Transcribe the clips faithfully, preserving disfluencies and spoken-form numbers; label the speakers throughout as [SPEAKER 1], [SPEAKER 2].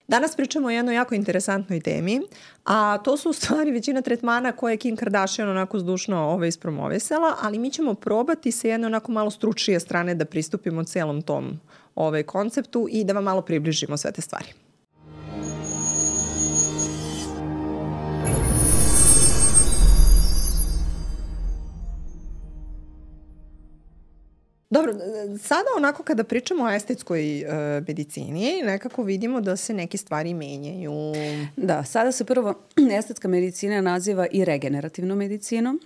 [SPEAKER 1] Danas pričamo o jednoj jako interesantnoj temi, a to su u stvari većina tretmana koje je Kim Kardashian onako zdušno ovaj, ispromovisala, ali mi ćemo probati sa jedne onako malo stručnije strane da pristupimo celom tom ovaj, konceptu i da vam malo približimo sve te stvari. Dobro, sada onako kada pričamo o estetskoj uh, medicini, nekako vidimo da se neke stvari menjaju.
[SPEAKER 2] Da, sada se prvo estetska medicina naziva i regenerativnom medicinom.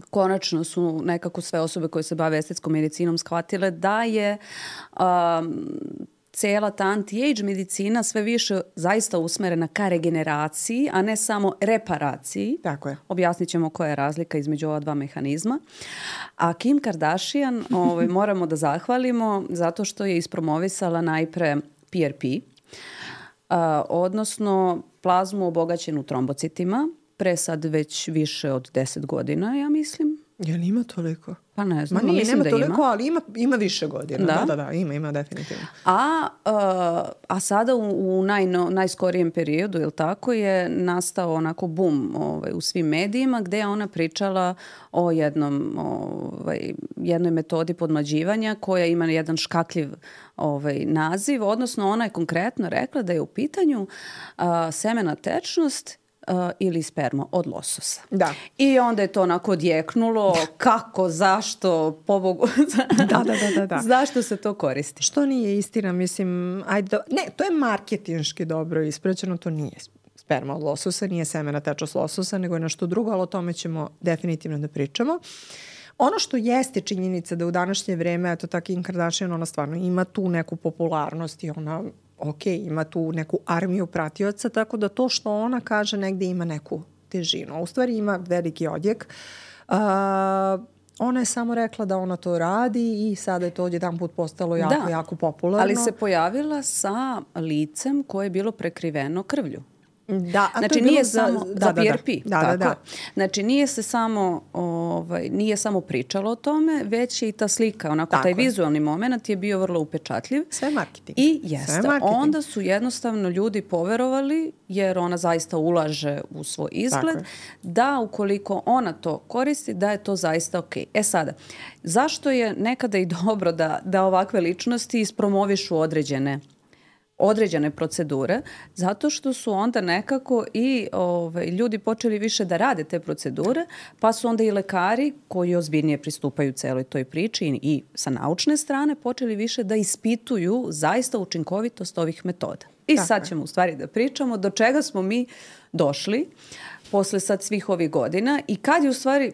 [SPEAKER 2] Konačno su nekako sve osobe koje se bave estetskom medicinom shvatile da je um, cela ta anti-age medicina sve više zaista usmerena ka regeneraciji, a ne samo reparaciji.
[SPEAKER 1] Tako je.
[SPEAKER 2] Objasnit ćemo koja je razlika između ova dva mehanizma. A Kim Kardashian ovaj, moramo da zahvalimo zato što je ispromovisala najpre P R P, a, odnosno plazmu obogaćenu trombocitima, pre sad već više od deset godina, ja mislim.
[SPEAKER 1] Jel ima toliko?
[SPEAKER 2] Pa ne znam,
[SPEAKER 1] Ma nije,
[SPEAKER 2] mislim
[SPEAKER 1] nema
[SPEAKER 2] da
[SPEAKER 1] toliko,
[SPEAKER 2] ima.
[SPEAKER 1] ali ima, ima više godina.
[SPEAKER 2] Da?
[SPEAKER 1] Da, da, da, ima, ima definitivno.
[SPEAKER 2] A, uh, a sada u, u najno, najskorijem periodu, jel tako, je nastao onako bum ovaj, u svim medijima gde je ona pričala o jednom, ovaj, jednoj metodi podmlađivanja koja ima jedan škakljiv ovaj, naziv, odnosno ona je konkretno rekla da je u pitanju uh, semena tečnost Uh, ili sperma od lososa.
[SPEAKER 1] Da.
[SPEAKER 2] I onda je to onako odjeknulo kako, zašto, pobogu,
[SPEAKER 1] da, da, da, da, da.
[SPEAKER 2] zašto se to koristi.
[SPEAKER 1] Što nije istina, mislim, ajde, ne, to je marketinški dobro ispraćeno, to nije sperma od lososa, nije semena tečnost lososa, nego je nešto drugo, ali o tome ćemo definitivno da pričamo. Ono što jeste činjenica da u današnje vreme, eto ta Kim Kardashian, ona stvarno ima tu neku popularnost i ona ok, ima tu neku armiju pratioca, tako da to što ona kaže negde ima neku težinu. A u stvari ima veliki odjek. Uh, ona je samo rekla da ona to radi i sada je to odjedan put postalo jako, da, jako popularno.
[SPEAKER 2] Ali se pojavila sa licem koje je bilo prekriveno krvlju.
[SPEAKER 1] Da, a
[SPEAKER 2] znači
[SPEAKER 1] to je
[SPEAKER 2] nije
[SPEAKER 1] bilo
[SPEAKER 2] samo
[SPEAKER 1] za,
[SPEAKER 2] za
[SPEAKER 1] da,
[SPEAKER 2] P R P.
[SPEAKER 1] Da, da,
[SPEAKER 2] tako.
[SPEAKER 1] da, da.
[SPEAKER 2] Znači nije se samo ovaj nije samo pričalo o tome, već je i ta slika, onako
[SPEAKER 1] tako
[SPEAKER 2] taj
[SPEAKER 1] je.
[SPEAKER 2] Vizualni momenat je bio vrlo upečatljiv.
[SPEAKER 1] Sve marketing.
[SPEAKER 2] I jeste.
[SPEAKER 1] Marketing.
[SPEAKER 2] Onda su jednostavno ljudi poverovali, jer ona zaista ulaže u svoj izgled, da ukoliko ona to koristi, da je to zaista ok. E sada, zašto je nekada i dobro da, da ovakve ličnosti ispromovišu određene određene procedure, zato što su onda nekako i ovaj, ljudi počeli više da rade te procedure, pa su onda i lekari koji ozbiljnije pristupaju celoj toj priči i, i sa naučne strane počeli više da ispituju zaista učinkovitost ovih metoda. I tako sad je. Ćemo u stvari da pričamo do čega smo mi došli posle sad svih ovih godina i kad je u stvari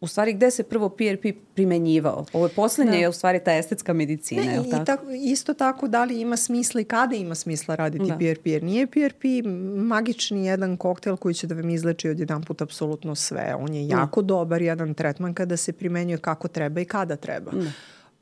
[SPEAKER 2] U stvari, gde se prvo P R P primenjivao? Ovo je poslednje, da. Je u stvari ta estetska medicina,
[SPEAKER 1] ne,
[SPEAKER 2] je li tako?
[SPEAKER 1] I tako? Isto tako, da li ima smisla i kada ima smisla raditi
[SPEAKER 2] da.
[SPEAKER 1] P R P? Jer nije P R P magični jedan koktel koji će da vam izleči od jedan put apsolutno sve. On je jako da. dobar jedan tretman kada se primenjuje kako treba i kada treba. Da.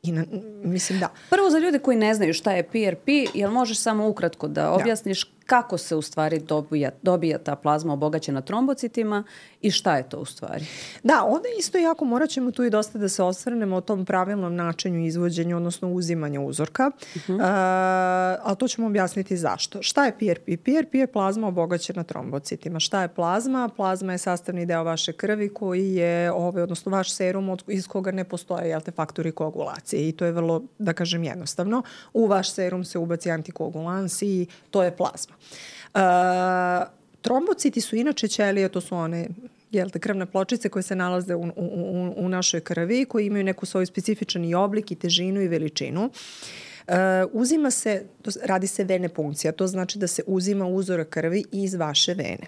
[SPEAKER 1] I na, mislim da.
[SPEAKER 2] Prvo za ljude koji ne znaju šta je P R P, jel možeš samo ukratko da objasniš da. kako se u stvari dobija, dobija ta plazma obogaćena trombocitima i šta je to u stvari?
[SPEAKER 1] Da, onda isto jako morat ćemo tu i dosta da se osvrnemo o tom pravilnom načinu izvođenja, odnosno uzimanja uzorka, uh-huh. uh, ali to ćemo objasniti zašto. Šta je P R P? P R P je plazma obogaćena trombocitima. Šta je plazma? Plazma je sastavni deo vaše krvi koji je, ovaj, odnosno vaš serum od, iz koga ne postoje jel te, faktori koagulacije i to je vrlo, da kažem, jednostavno. U vaš serum se ubaci antikoagulans i to je plazma. Uh, trombociti su inače ćelije, to su one jel te, krvne pločice koje se nalaze u, u, u našoj krvi, koji imaju neku svoj specifičan i oblik i težinu i veličinu. Uh, uzima se, radi se vene punkcija, to znači da se uzima uzorak krvi iz vaše vene.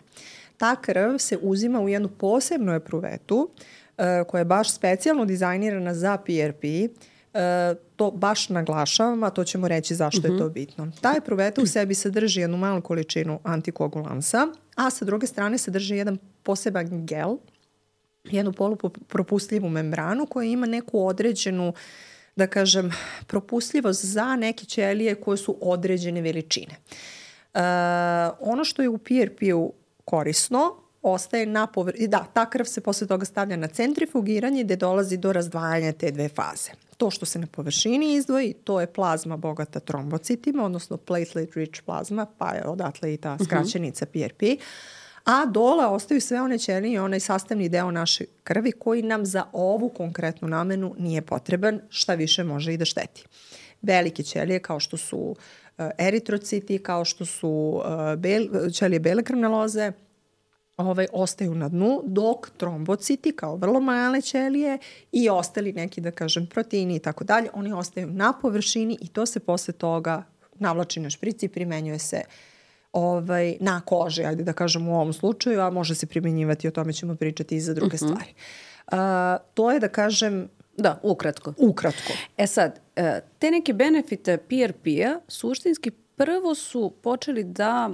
[SPEAKER 1] Ta krv se uzima u jednu posebnu epruvetu uh, koja je baš specijalno dizajnirana za P R P. Uh, to baš naglašavam, a to ćemo reći zašto uh-huh. je to bitno. Ta epruveta u sebi sadrži jednu malu količinu antikoagulansa, a sa druge strane sadrži jedan poseban gel, jednu polupropustljivu membranu koja ima neku određenu, da kažem, propustljivost za neke ćelije koje su određene veličine. Uh, ono što je u P R P-u korisno ostaje na površini. Da, ta krv se posle toga stavlja na centrifugiranje gde dolazi do razdvajanja te dve faze. To što se na površini izdvoji, to je plazma bogata trombocitima, odnosno platelet rich plazma, pa je odatle i ta skraćenica P R P. A dole ostaju sve one ćelije i onaj sastavni deo naše krvi koji nam za ovu konkretnu namenu nije potreban, šta više može i da šteti. Velike ćelije kao što su uh, eritrociti, kao što su uh, bel, ćelije bele krvne loze, ovaj, ostaju na dnu, dok trombociti kao vrlo male ćelije i ostali neki, da kažem, proteini i tako dalje, oni ostaju na površini i to se posle toga navlači na šprici i primenjuje se ovaj, na koži, ajde da kažem u ovom slučaju, a može se primjenjivati, o tome ćemo pričati i za druge uh-huh. stvari. Uh, to je, da kažem,
[SPEAKER 2] da, ukratko.
[SPEAKER 1] Ukratko.
[SPEAKER 2] E sad, te neke benefite P R P-a suštinski prvo su počeli da,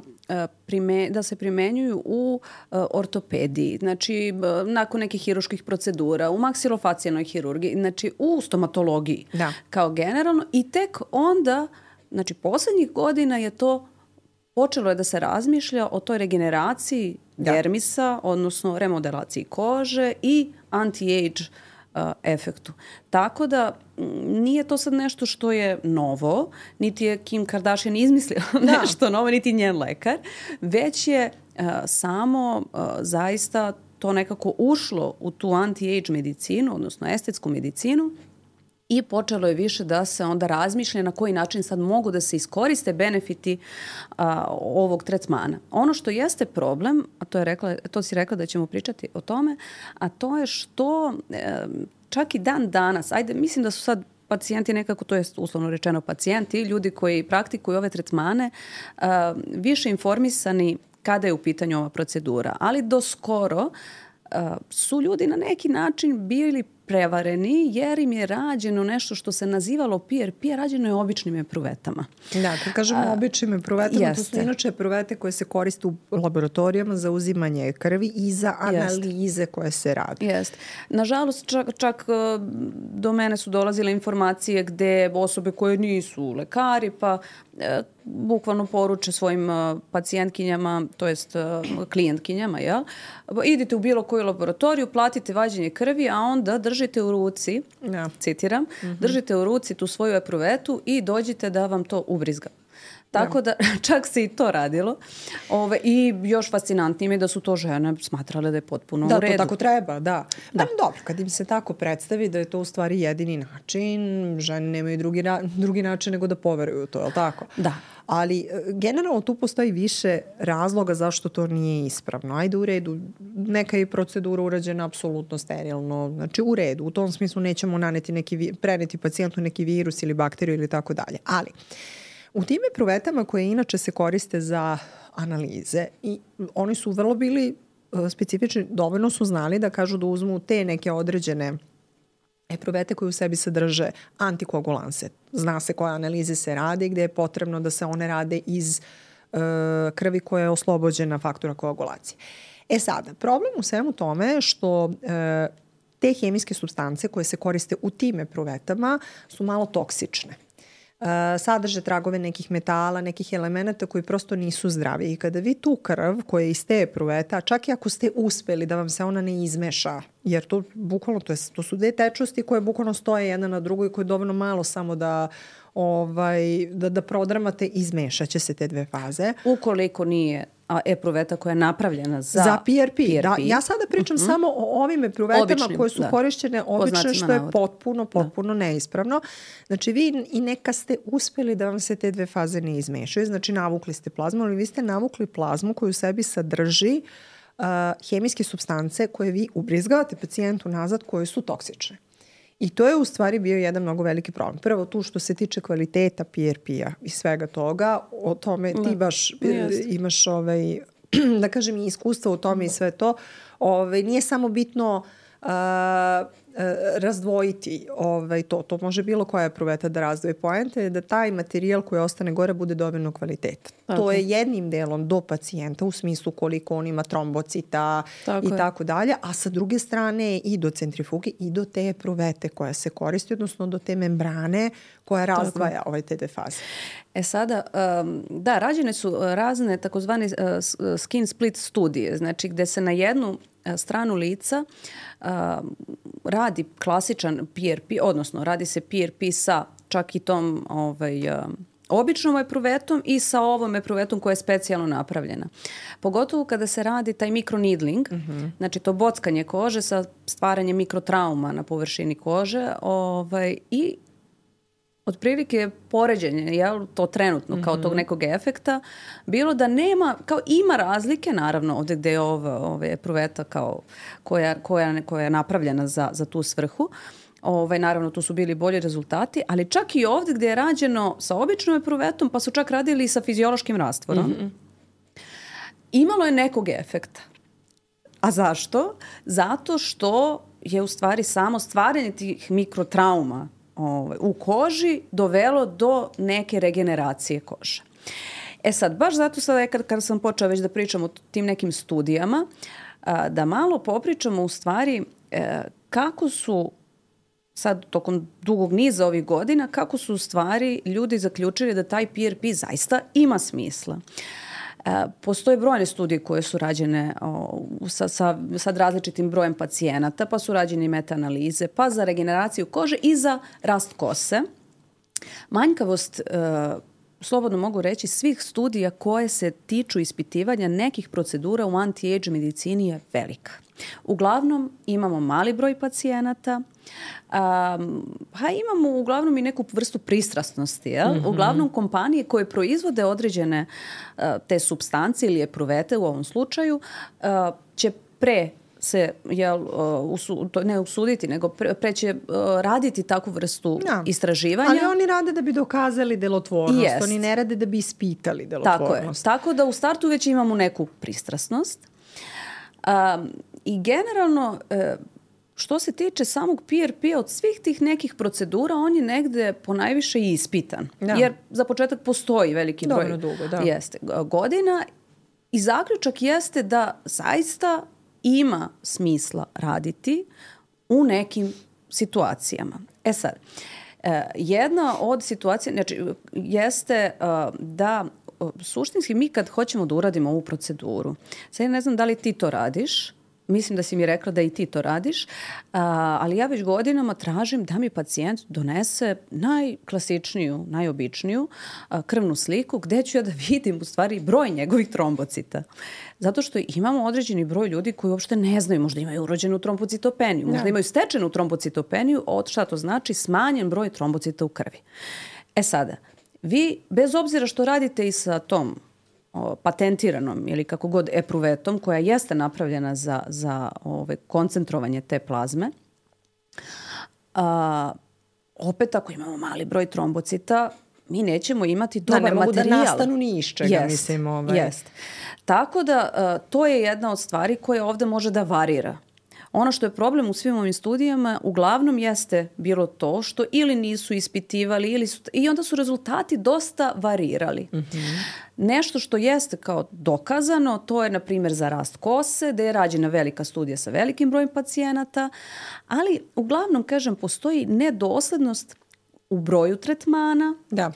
[SPEAKER 2] prime, da se primenjuju u ortopediji, znači nakon nekih hiruških procedura, u maksilofacijalnoj hirurgiji, znači u stomatologiji
[SPEAKER 1] da.
[SPEAKER 2] Kao generalno i tek onda, znači poslednjih godina je to počelo je da se razmišlja o toj regeneraciji da. dermisa, odnosno remodelaciji kože i anti-age uh, efektu. Tako da nije to sad nešto što je novo, niti je Kim Kardashian izmislila da. nešto novo, niti njen lekar, već je uh, samo uh, zaista to nekako ušlo u tu anti-age medicinu, odnosno estetsku medicinu, i počelo je više da se onda razmišlja na koji način sad mogu da se iskoriste benefiti a, ovog tretmana. Ono što jeste problem, a to, je rekla, to si rekla da ćemo pričati o tome, a to je što e, čak i dan danas, ajde, mislim da su sad pacijenti nekako, to je uslovno rečeno pacijenti, ljudi koji praktikuju ove tretmane, a, više informisani kada je u pitanju ova procedura. Ali do skoro a, su ljudi na neki način bili prevareni jer im je rađeno nešto što se nazivalo P R P, rađeno je običnim epruvetama.
[SPEAKER 1] Da, kad kažemo A, običnim epruvetama, jeste. To su inače epruvete koje se koriste u laboratorijama za uzimanje krvi i za analize jeste. Koje se radi.
[SPEAKER 2] Jeste. Nažalost, čak, čak do mene su dolazile informacije gde osobe koje nisu lekari, pa e, bukvalno poruče svojim uh, pacijentkinjama, to jest uh, klijentkinjama, jel? Idite u bilo koju laboratoriju, platite vađenje krvi, a onda držite u ruci, ja. citiram, mm-hmm. držite u ruci tu svoju epruvetu i dođite da vam to ubrizga. Tako da čak se i to radilo. Ove, I još fascinantnije mi da su to žene smatrale da je potpuno
[SPEAKER 1] da,
[SPEAKER 2] u redu.
[SPEAKER 1] Da, to tako treba, da. da. Pa, dobro, kad im se tako predstavi da je to u stvari jedini način, žene nemaju drugi, na, drugi način nego da poveruju u to, je li tako?
[SPEAKER 2] Da.
[SPEAKER 1] Ali generalno tu postoji više razloga zašto to nije ispravno. Ajde u redu, neka je procedura urađena apsolutno sterilno. Znači u redu, u tom smislu nećemo naneti neki, preneti pacijentu neki virus ili bakteriju ili tako dalje. Ali u tim epruvetama koje inače se koriste za analize i oni su vrlo bili specifični, dovoljno su znali da kažu da uzmu te neke određene epruvete koje u sebi sadrže antikoagulanse. Zna se koje analize se rade i gde je potrebno da se one rade iz uh, krvi koja je oslobođena faktora koagulacije. E sada, problem u svemu tome je što uh, te hemijske supstance koje se koriste u tim epruvetama su malo toksične. Uh, sadrže tragove nekih metala, nekih elemenata koji prosto nisu zdravi. I kada vi tu krv koja je iz te epruveta, čak i ako ste uspeli da vam se ona ne izmeša, jer to bukvalno, to, je, to su dve tečnosti koje bukvalno stoje jedna na drugoj, koje je dovoljno malo samo da ovaj, da, da prodramate, izmešaće se te dve faze.
[SPEAKER 2] Ukoliko nije a epruveta koja je napravljena za,
[SPEAKER 1] za P R P. P R P. Da, ja sada pričam uh-huh. samo o ovim epruvetama običnim, koje su da. korišćene obično, što je potpuno, potpuno da. neispravno. Znači vi i neka ste uspeli da vam se te dve faze ne izmešaju, znači navukli ste plazmu, ali vi ste navukli plazmu koju u sebi sadrži uh, hemijske supstance koje vi ubrizgavate pacijentu nazad koje su toksične. I to je u stvari bio jedan mnogo veliki problem. Prvo tu što se tiče kvaliteta P R P-a i svega toga, o tome ti da. baš yes. imaš ovaj, da kažem i iskustva u tome i sve to. Ovaj, nije samo bitno uh, razdvojiti ovaj, to. To može bilo koja epruveta da razdvoji. Poenta je da taj materijal koji ostane gore bude dovoljno kvaliteta. Tako. To je jednim delom do pacijenta u smislu koliko on ima trombocita tako i je. Tako dalje, a sa druge strane i do centrifuge i do te epruvete koja se koristi, odnosno do te membrane koja razdvaja ovaj te dve faze.
[SPEAKER 2] E sada, um, da, rađene su razne takozvane uh, skin split studije, znači gde se na jednu stranu lica uh, radi klasičan P R P, odnosno radi se P R P sa čak i tom ovaj, uh, običnom epruvetom i sa ovom epruvetom koja je specijalno napravljena. Pogotovo kada se radi taj mikroneedling, mm-hmm. znači to bockanje kože sa stvaranjem mikrotrauma na površini kože ovaj, i otprilike poređenje, jel, to trenutno kao tog nekog efekta, bilo da nema, kao ima razlike, naravno, ovdje gde je ova, ova epruveta kao koja, koja, koja je napravljena za, za tu svrhu. Ovaj, naravno, tu su bili bolji rezultati, ali čak i ovdje gdje je rađeno sa običnom epruvetom, pa su čak radili i sa fiziološkim rastvorom, mm-hmm. imalo je nekog efekta. A zašto? Zato što je u stvari samo stvaranje tih mikrotrauma Ovaj, u koži dovelo do neke regeneracije kože. E sad, baš zato sada kad, kad sam počela već da pričam o tim nekim studijama, a, da malo popričamo u stvari e, kako su sad tokom dugog niza ovih godina, kako su u stvari ljudi zaključili da taj P R P zaista ima smisla. Postoje brojne studije koje su rađene o, sa, sa sad različitim brojem pacijenata, pa su rađene meta-analize, pa za regeneraciju kože i za rast kose. Manjkavost, e, slobodno mogu reći, svih studija koje se tiču ispitivanja nekih procedura u anti-age medicini je velika. Uglavnom imamo mali broj pacijenata, um, pa imamo uglavnom i neku vrstu pristrasnosti. Jel? Mm-hmm. Uglavnom kompanije koje proizvode određene uh, te supstance ili epruvete u ovom slučaju uh, će pre se jel, uh, usu, to ne usuditi, nego pre, pre će uh, raditi takvu vrstu ja. istraživanja.
[SPEAKER 1] Ali oni rade da bi dokazali delotvornost. Jest. Oni ne rade da bi ispitali delotvornost.
[SPEAKER 2] Tako je. Tako da u startu već imamo neku pristrasnost. Um, I generalno, što se tiče samog P R P-a, od svih tih nekih procedura, on je negde ponajviše i ispitan. Da. Jer za početak postoji veliki broj
[SPEAKER 1] Dobro, dugo, da.
[SPEAKER 2] jeste, godina i zaključak jeste da zaista ima smisla raditi u nekim situacijama. E sad, jedna od situacija znači, jeste da suštinski mi kad hoćemo da uradimo ovu proceduru, sad ne znam da li ti to radiš, mislim da si mi rekla da i ti to radiš, a, ali ja već godinama tražim da mi pacijent donese najklasičniju, najobičniju a, krvnu sliku gde ću ja da vidim u stvari broj njegovih trombocita. Zato što imamo određeni broj ljudi koji uopšte ne znaju, možda imaju urođenu trombocitopeniju, možda imaju stečenu trombocitopeniju, od šta to znači smanjen broj trombocita u krvi. E sada, vi, bez obzira što radite i sa tom o, patentiranom ili kako god epruvetom, koja jeste napravljena za, za ove, koncentrovanje te plazme, a, opet ako imamo mali broj trombocita, mi nećemo imati dobar materijal.
[SPEAKER 1] Da, ne mogu
[SPEAKER 2] materijal.
[SPEAKER 1] da nastanu ni iz čega,
[SPEAKER 2] jest,
[SPEAKER 1] mislim. Ovaj.
[SPEAKER 2] Jest. Tako da, a, to je jedna od stvari koja ovde može da varira. Ono što je problem u svim ovim studijama uglavnom jeste bilo to što ili nisu ispitivali ili su, i onda su rezultati dosta varirali. Mm-hmm. Nešto što jeste kao dokazano, to je na primjer za rast kose, da je rađena velika studija sa velikim brojem pacijenata, ali uglavnom, kažem, postoji nedoslednost u broju tretmana. Da.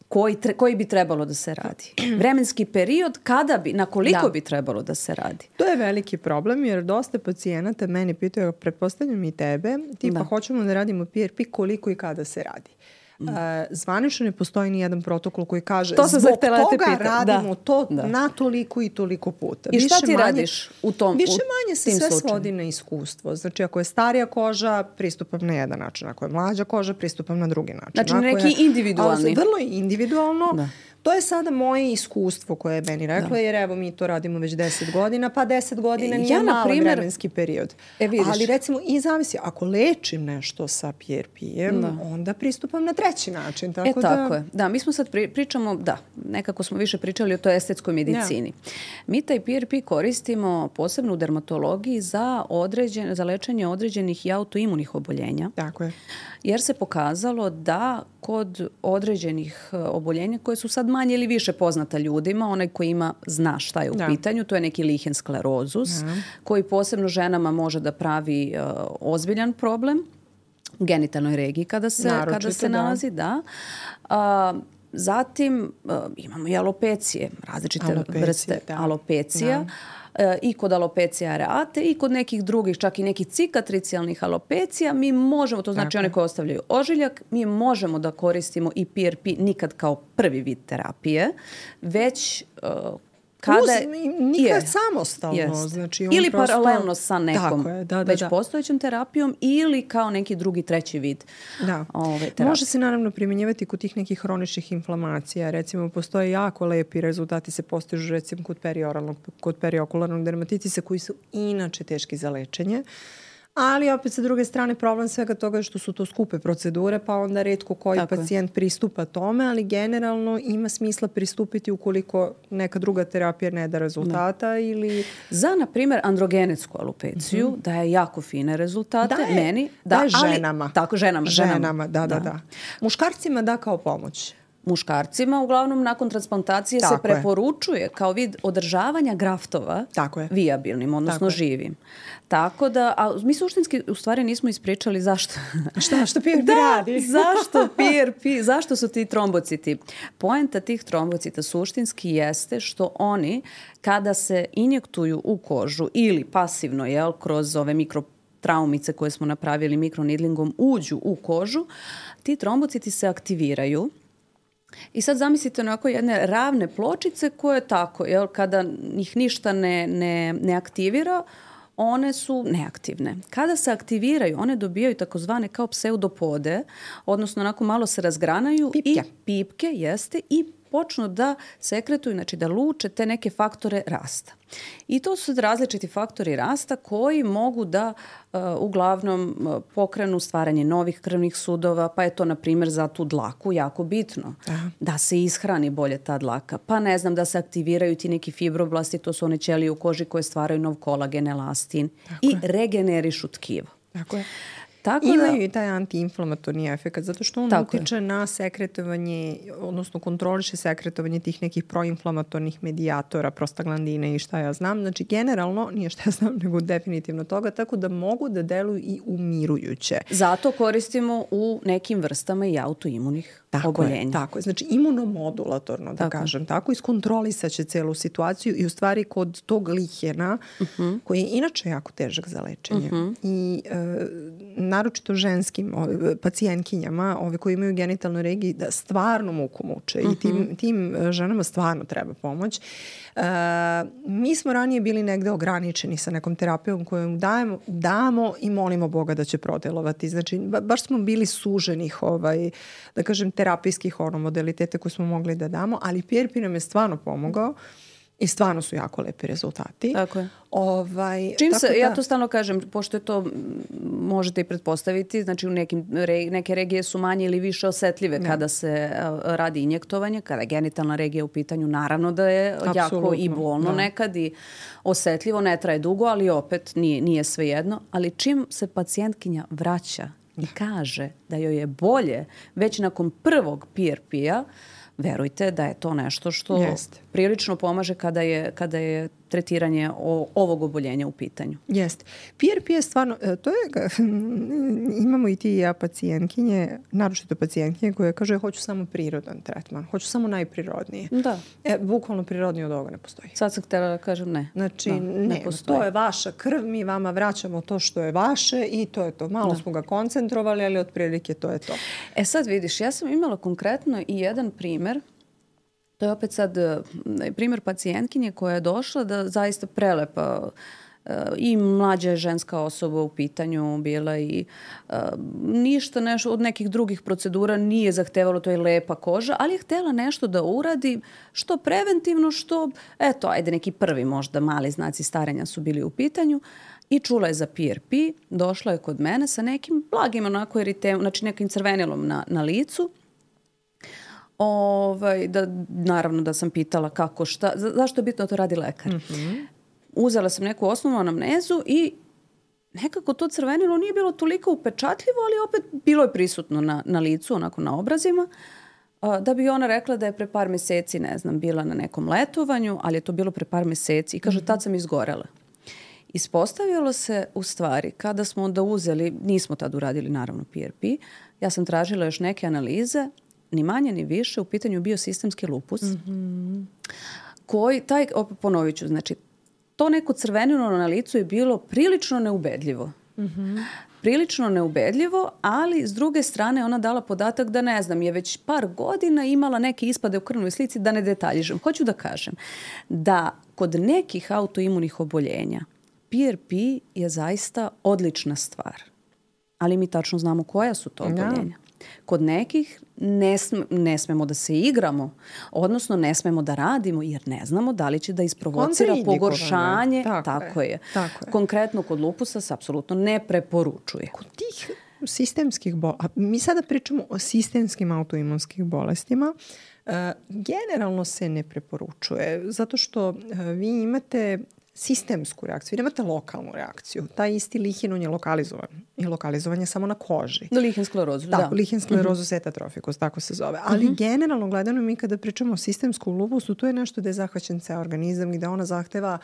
[SPEAKER 2] Koji, tre, koji bi trebalo da se radi. Vremenski period kada bi, na koliko da. bi trebalo da se radi.
[SPEAKER 1] To je veliki problem jer dosta pacijenata meni pitaju, pretpostavljam i tebe, tipa da. hoćemo da radimo P R P, koliko i kada se radi. Mm. Uh, zvanično ne postoji ni jedan protokol koji kaže to zbog toga radimo da. to da. na toliko i toliko puta.
[SPEAKER 2] I šta više ti manje, radiš u tom
[SPEAKER 1] Više manje se sve svodi na iskustvo. Znači ako je starija koža, pristupam na jedan način. Ako je mlađa koža, pristupam na drugi način.
[SPEAKER 2] Znači
[SPEAKER 1] ako
[SPEAKER 2] neki
[SPEAKER 1] je,
[SPEAKER 2] individualni.
[SPEAKER 1] Vrlo je individualno. Da. To je sada moje iskustvo koje je meni rekla, da. Jer evo mi to radimo već deset godina, pa deset godina nije ja, mali primjer, vremenski period.
[SPEAKER 2] E,
[SPEAKER 1] ali recimo i zavisi, ako lečim nešto sa P R P-em, da. Onda pristupam na treći način. Tako
[SPEAKER 2] e, tako da... je. Da, mi smo sad pri, pričamo, da, nekako smo više pričali o toj estetskoj medicini. Ja. Mi taj P R P koristimo posebno u dermatologiji za, određen, za lečenje određenih i autoimunih oboljenja.
[SPEAKER 1] Tako je.
[SPEAKER 2] Jer se pokazalo da kod određenih oboljenja koje su sad manje ili više poznata ljudima, onaj koji ima zna šta je u da. Pitanju, to je neki lihen sklerozus, da. Koji posebno ženama može da pravi uh, ozbiljan problem u genitalnoj regiji kada se, kada se nalazi. Da. Da. Uh, zatim uh, imamo i alopecije, različite alopecije, vrste da. Alopecija. Da. I kod alopecija areate i kod nekih drugih, čak i nekih cikatricijalnih alopecija, mi možemo, to znači one koje ostavljaju ožiljak, mi možemo da koristimo i P R P nikad kao prvi vid terapije, već uh, kada
[SPEAKER 1] Uz, nikad je, samostalno. Znači on
[SPEAKER 2] ili
[SPEAKER 1] prosto...
[SPEAKER 2] paralelno sa nekom
[SPEAKER 1] je, da, da,
[SPEAKER 2] već
[SPEAKER 1] da.
[SPEAKER 2] Postojećom terapijom ili kao neki drugi, treći vid
[SPEAKER 1] da.
[SPEAKER 2] Ove terapije.
[SPEAKER 1] Može se naravno primjenjivati kod tih nekih hroničnih inflamacija. Recimo, postoje jako lepi rezultati se postižu recimo kod perioralnog, kod periokularnog dermatitisa koji su inače teški za lečenje. Ali opet sa druge strane problem svega toga je što su to skupe procedure, pa onda retko koji Tako pacijent je. Pristupa tome, ali generalno ima smisla pristupiti ukoliko neka druga terapija ne da rezultata da. Ili...
[SPEAKER 2] Za, na primjer, androgenetsku alopeciju mm-hmm. daje jako fine rezultate.
[SPEAKER 1] Daje,
[SPEAKER 2] meni,
[SPEAKER 1] da, daje ali, ženama.
[SPEAKER 2] Tako, ženama.
[SPEAKER 1] Ženama,
[SPEAKER 2] ženama.
[SPEAKER 1] Da, da, da, da. Muškarcima da kao pomoć.
[SPEAKER 2] Muškarcima, uglavnom nakon transplantacije Tako se preporučuje je. Kao vid održavanja graftova
[SPEAKER 1] Tako je.
[SPEAKER 2] Vijabilnim, odnosno
[SPEAKER 1] Tako
[SPEAKER 2] živim. Tako da, a mi suštinski u stvari nismo ispričali zašto.
[SPEAKER 1] Šta, što P R P
[SPEAKER 2] da,
[SPEAKER 1] radi?
[SPEAKER 2] zašto P R P, zašto su ti trombociti? Poenta tih trombocita suštinski jeste što oni kada se injektuju u kožu ili pasivno, jel, kroz ove mikro traumice koje smo napravili mikronidlingom uđu u kožu, ti trombociti se aktiviraju. I sad zamislite onako jedne ravne pločice koje tako, jel, kada ih ništa ne, ne, ne aktivira, one su neaktivne. Kada se aktiviraju, one dobijaju takozvane kao pseudopode, odnosno onako malo se razgranaju
[SPEAKER 1] pipke.
[SPEAKER 2] I pipke, jeste, i počnu da sekretuju, znači da luče te neke faktore rasta. I to su različiti faktori rasta koji mogu da uh, uglavnom uh, pokrenu stvaranje novih krvnih sudova, pa je to na primjer za tu dlaku jako bitno. Aha. Da se ishrani bolje ta dlaka. Pa ne znam, da se aktiviraju ti neki fibroblasti, to su one ćelije u koži koje stvaraju nov kolagen, elastin Tako i je. Regenerišu tkivo.
[SPEAKER 1] Tako je. Tako Imaju da, i taj antiinflamatorni efekt, zato što on utiče na sekretovanje, odnosno kontroliše sekretovanje tih nekih proinflamatornih medijatora, prostaglandine i šta ja znam. Znači, generalno, nije šta ja znam, nego definitivno toga, tako da mogu da deluju i umirujuće.
[SPEAKER 2] Zato koristimo u nekim vrstama i autoimunih tako oboljenja.
[SPEAKER 1] Je, tako je. Znači, imunomodulatorno, da tako. kažem tako, iskontrolisat će celu situaciju i u stvari kod tog lihena, uh-huh. koji je inače jako težak za lečenje. Uh-huh. I e, naročito ženskim ove, pacijentkinjama, ove koji imaju genitalnu regiju, da stvarno muku muče uh-huh. i tim, tim ženama stvarno treba pomoć. E, mi smo ranije bili negde ograničeni sa nekom terapijom koju dajemo, damo i molimo Boga da će prodelovati. Znači, ba, baš smo bili suženih, ovaj, da kažem, terapijskih ono, modalitete koje smo mogli da damo, ali P R P nam je stvarno pomogao i stvarno su jako lepi rezultati.
[SPEAKER 2] Tako je.
[SPEAKER 1] Ovaj,
[SPEAKER 2] Čim
[SPEAKER 1] tako
[SPEAKER 2] se,
[SPEAKER 1] da...
[SPEAKER 2] ja to stalno kažem, pošto je to možete i pretpostaviti, znači u nekim, re, neke regije su manje ili više osetljive ne. Kada se uh, radi injektovanje, kada je genitalna regija u pitanju, naravno da je Absolutno. Jako i bolno da. Nekad i osetljivo, ne traje dugo, ali opet nije, nije svejedno. Ali čim se pacijentkinja vraća i kaže da joj je bolje već nakon prvog P R P-a, verujte da je to nešto što Jest. Prilično pomaže kada je, kada je tretiranje o, ovog oboljenja u pitanju.
[SPEAKER 1] Jeste. P R P je stvarno, to je, imamo i ti i ja pacijentkinje, naročito pacijentkinje koje kaže hoću samo prirodan tretman, hoću samo najprirodnije.
[SPEAKER 2] Da.
[SPEAKER 1] E, bukvalno prirodnije od ovoga ne postoji.
[SPEAKER 2] Sad sam htjela da kažem ne.
[SPEAKER 1] Znači,
[SPEAKER 2] da,
[SPEAKER 1] ne, ne to je vaša krv, mi vama vraćamo to što je vaše i to je to. Malo da. Smo ga koncentrovali, ali otprilike to je to.
[SPEAKER 2] E sad vidiš, ja sam imala konkretno i jedan primjer. To je opet sad primjer pacijentkinje koja je došla da zaista prelepa i mlađa je ženska osoba u pitanju bila i uh, ništa nešto od nekih drugih procedura nije zahtevalo, to je lepa koža, ali je htjela nešto da uradi što preventivno, što, eto, ajde neki prvi možda mali znaci starenja su bili u pitanju i čula je za P R P, došla je kod mene sa nekim blagim onako eritem, znači nekim crvenilom na, na licu. Ovaj, da, naravno da sam pitala kako, šta, za, zašto je bitno da to radi lekar. Mm-hmm. Uzela sam neku osnovnu anamnezu i nekako to crvenilo nije bilo toliko upečatljivo, ali opet bilo je prisutno na, na licu, onako na obrazima, a, da bi ona rekla da je pre par mjeseci, ne znam, bila na nekom letovanju, ali je to bilo pre par mjeseci i kaže, mm-hmm. tad sam izgorela. Ispostavilo se u stvari, kada smo onda uzeli, nismo tad uradili naravno P R P, ja sam tražila još neke analize, ni manje ni više, u pitanju bio sistemski lupus, mm-hmm. koji, taj, opet ponovit ću, znači, to neko crvenilo na licu je bilo prilično neubedljivo. Mm-hmm. Prilično neubedljivo, ali s druge strane ona dala podatak da, ne znam, je već par godina imala neke ispade u krvnoj slici, da ne detaljižem. Hoću da kažem da kod nekih autoimunih oboljenja P R P je zaista odlična stvar. Ali mi tačno znamo koja su to oboljenja. Kod nekih ne, sm- ne smemo da se igramo, odnosno ne smemo da radimo jer ne znamo da li će da isprovocira pogoršanje. Tako, tako je. je. Tako je. Konkretno kod lupusa se apsolutno ne preporučuje.
[SPEAKER 1] Kod tih sistemskih bolesti, mi sada pričamo o sistemskim autoimunskih bolestima, uh, generalno se ne preporučuje zato što uh, vi imate sistemsku reakciju. Vi nemate lokalnu reakciju. Taj isti lihin je lokalizovan. I lokalizovan je samo na koži.
[SPEAKER 2] Do lihin sklerozu, da.
[SPEAKER 1] Tako, lihin sklerozu mm-hmm. setatrofikus, tako se zove. Ali mm-hmm. generalno gledano mi kada pričamo o sistemskom lupusu, to je nešto gde je zahvaćen ceo organizam i gde ona zahteva,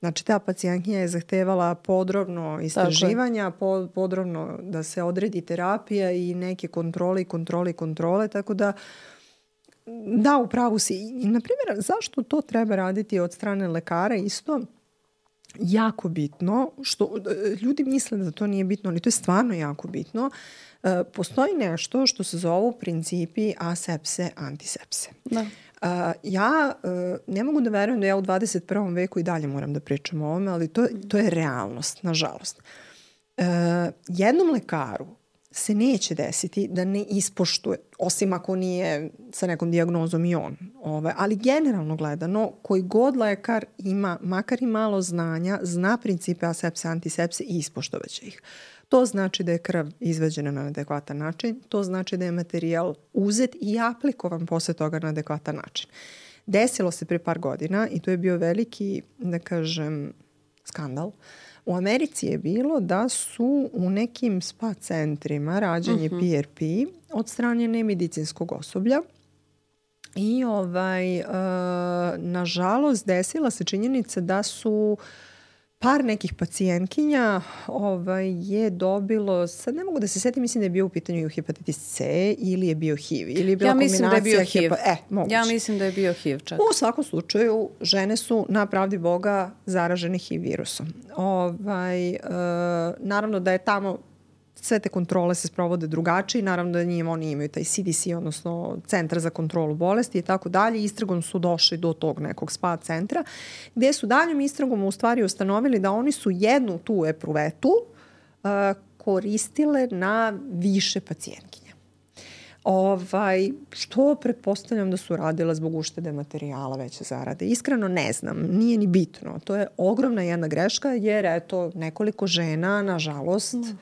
[SPEAKER 1] znači ta pacijentkinja je zahtevala podrobno istraživanja, po, podrobno da se odredi terapija i neke kontrole i kontrole i kontrole, tako da da, u pravu si. I, na primjer, zašto to treba raditi od strane lekara isto? Jako bitno, što ljudi misle da to nije bitno, ali to je stvarno jako bitno. E, postoji nešto što se zovu principi asepse, antisepse. Da. E, ja e, ne mogu da verujem da ja u dvadeset prvom veku i dalje moram da pričam o ovome, ali to, to je realnost, nažalost. E, jednom lekaru se neće desiti da ne ispoštuje, osim ako nije sa nekom dijagnozom i on. Ove, ali generalno gledano, koji god lekar ima, makar i malo znanja, zna principe asepse, antisepse i ispoštovaće ih. To znači da je krv izveđena na adekvatan način, to znači da je materijal uzet i aplikovan posle toga na adekvatan način. Desilo se pre par godina i to je bio veliki, da kažem, skandal. U Americi je bilo da su u nekim spa centrima rađenje uh-huh. P R P od strane nemedicinskog osoblja i ovaj, uh, nažalost desila se činjenica da su par nekih pacijentkinja ovaj, je dobilo, sad ne mogu da se setim, mislim da je bio u pitanju hepatitis C ili je bio H I V. Ili je bila
[SPEAKER 2] ja mislim da je bio H I V.
[SPEAKER 1] Hepa, e, moguće.
[SPEAKER 2] Ja mislim da je bio H I V čak.
[SPEAKER 1] U svakom slučaju, žene su na pravdi Boga zaražene H I V virusom. Ovaj, uh, naravno da je tamo sve te kontrole se sprovode drugačije, naravno da njim oni imaju taj C D C, odnosno Centar za kontrolu bolesti i tako dalje. Istragom su došli do tog nekog spa centra, gde su daljom istragom u stvari ustanovili da oni su jednu tu epruvetu uh, koristile na više pacijentkinja. Ovaj, što pretpostavljam da su radile zbog uštede materijala, veće zarade. Iskreno ne znam, nije ni bitno. To je ogromna jedna greška jer eto nekoliko žena, nažalost, mm.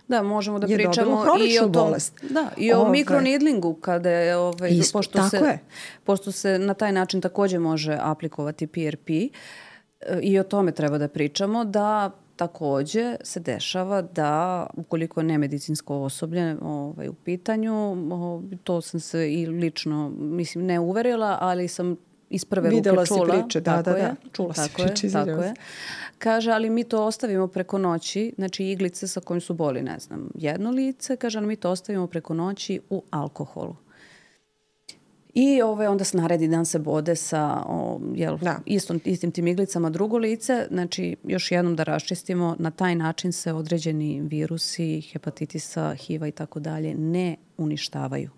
[SPEAKER 2] Da, možemo da pričamo i o tom, bolest. Da, i o Ove. mikronidlingu kada je ovaj Isto, pošto se je. pošto se na taj način također može aplikovati P R P i o tome treba da pričamo da također se dešava da ukoliko je nemedicinsko osoblje ovaj u pitanju, to sam se i lično mislim ne uverila, ali sam iz prve
[SPEAKER 1] Videla
[SPEAKER 2] ruke čula.
[SPEAKER 1] Videla si priče, da,
[SPEAKER 2] tako
[SPEAKER 1] da,
[SPEAKER 2] je,
[SPEAKER 1] da. Čula si
[SPEAKER 2] tako
[SPEAKER 1] priče.
[SPEAKER 2] Je, tako je. Kaže, ali mi to ostavimo preko noći, znači iglice sa kojim su boli, ne znam, jedno lice, kaže, ali mi to ostavimo preko noći u alkoholu. I ove, onda se naredi dan se bode sa o, jel, istom, istim tim iglicama drugo lice. Znači, još jednom da raščistimo, na taj način se određeni virusi, hepatitisa, H I V-a i tako dalje ne uništavaju.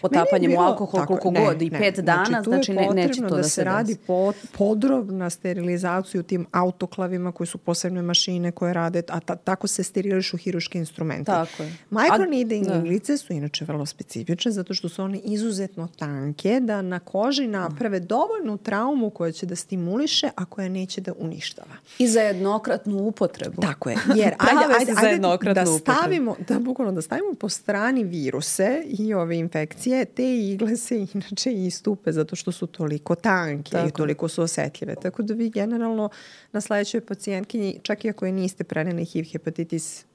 [SPEAKER 2] Potapanjem u alkohol koliko ne, god i ne, pet dana, znači, znači ne, neće to da, da se radi
[SPEAKER 1] pod, podrobna sterilizaciju tim autoklavima koji su posebne mašine koje rade, a ta, tako se sterilišu hiruški instrumenti.
[SPEAKER 2] Tako je.
[SPEAKER 1] Microneedling iglice su inače vrlo specifične zato što su one izuzetno tanke da na koži naprave dovoljnu traumu koja će da stimuliše, a koja neće da uništava.
[SPEAKER 2] I za jednokratnu upotrebu.
[SPEAKER 1] Tako je. Jer ajde, ajde, ajde da stavimo, da bukvalno da stavimo po strani viruse i ove infekcije, te igle se inače istupe zato što su toliko tanke tako. I toliko su osetljive. Tako da vi generalno na sledećoj pacijentkinji, čak i ako je niste preneli H I V, hepatitis,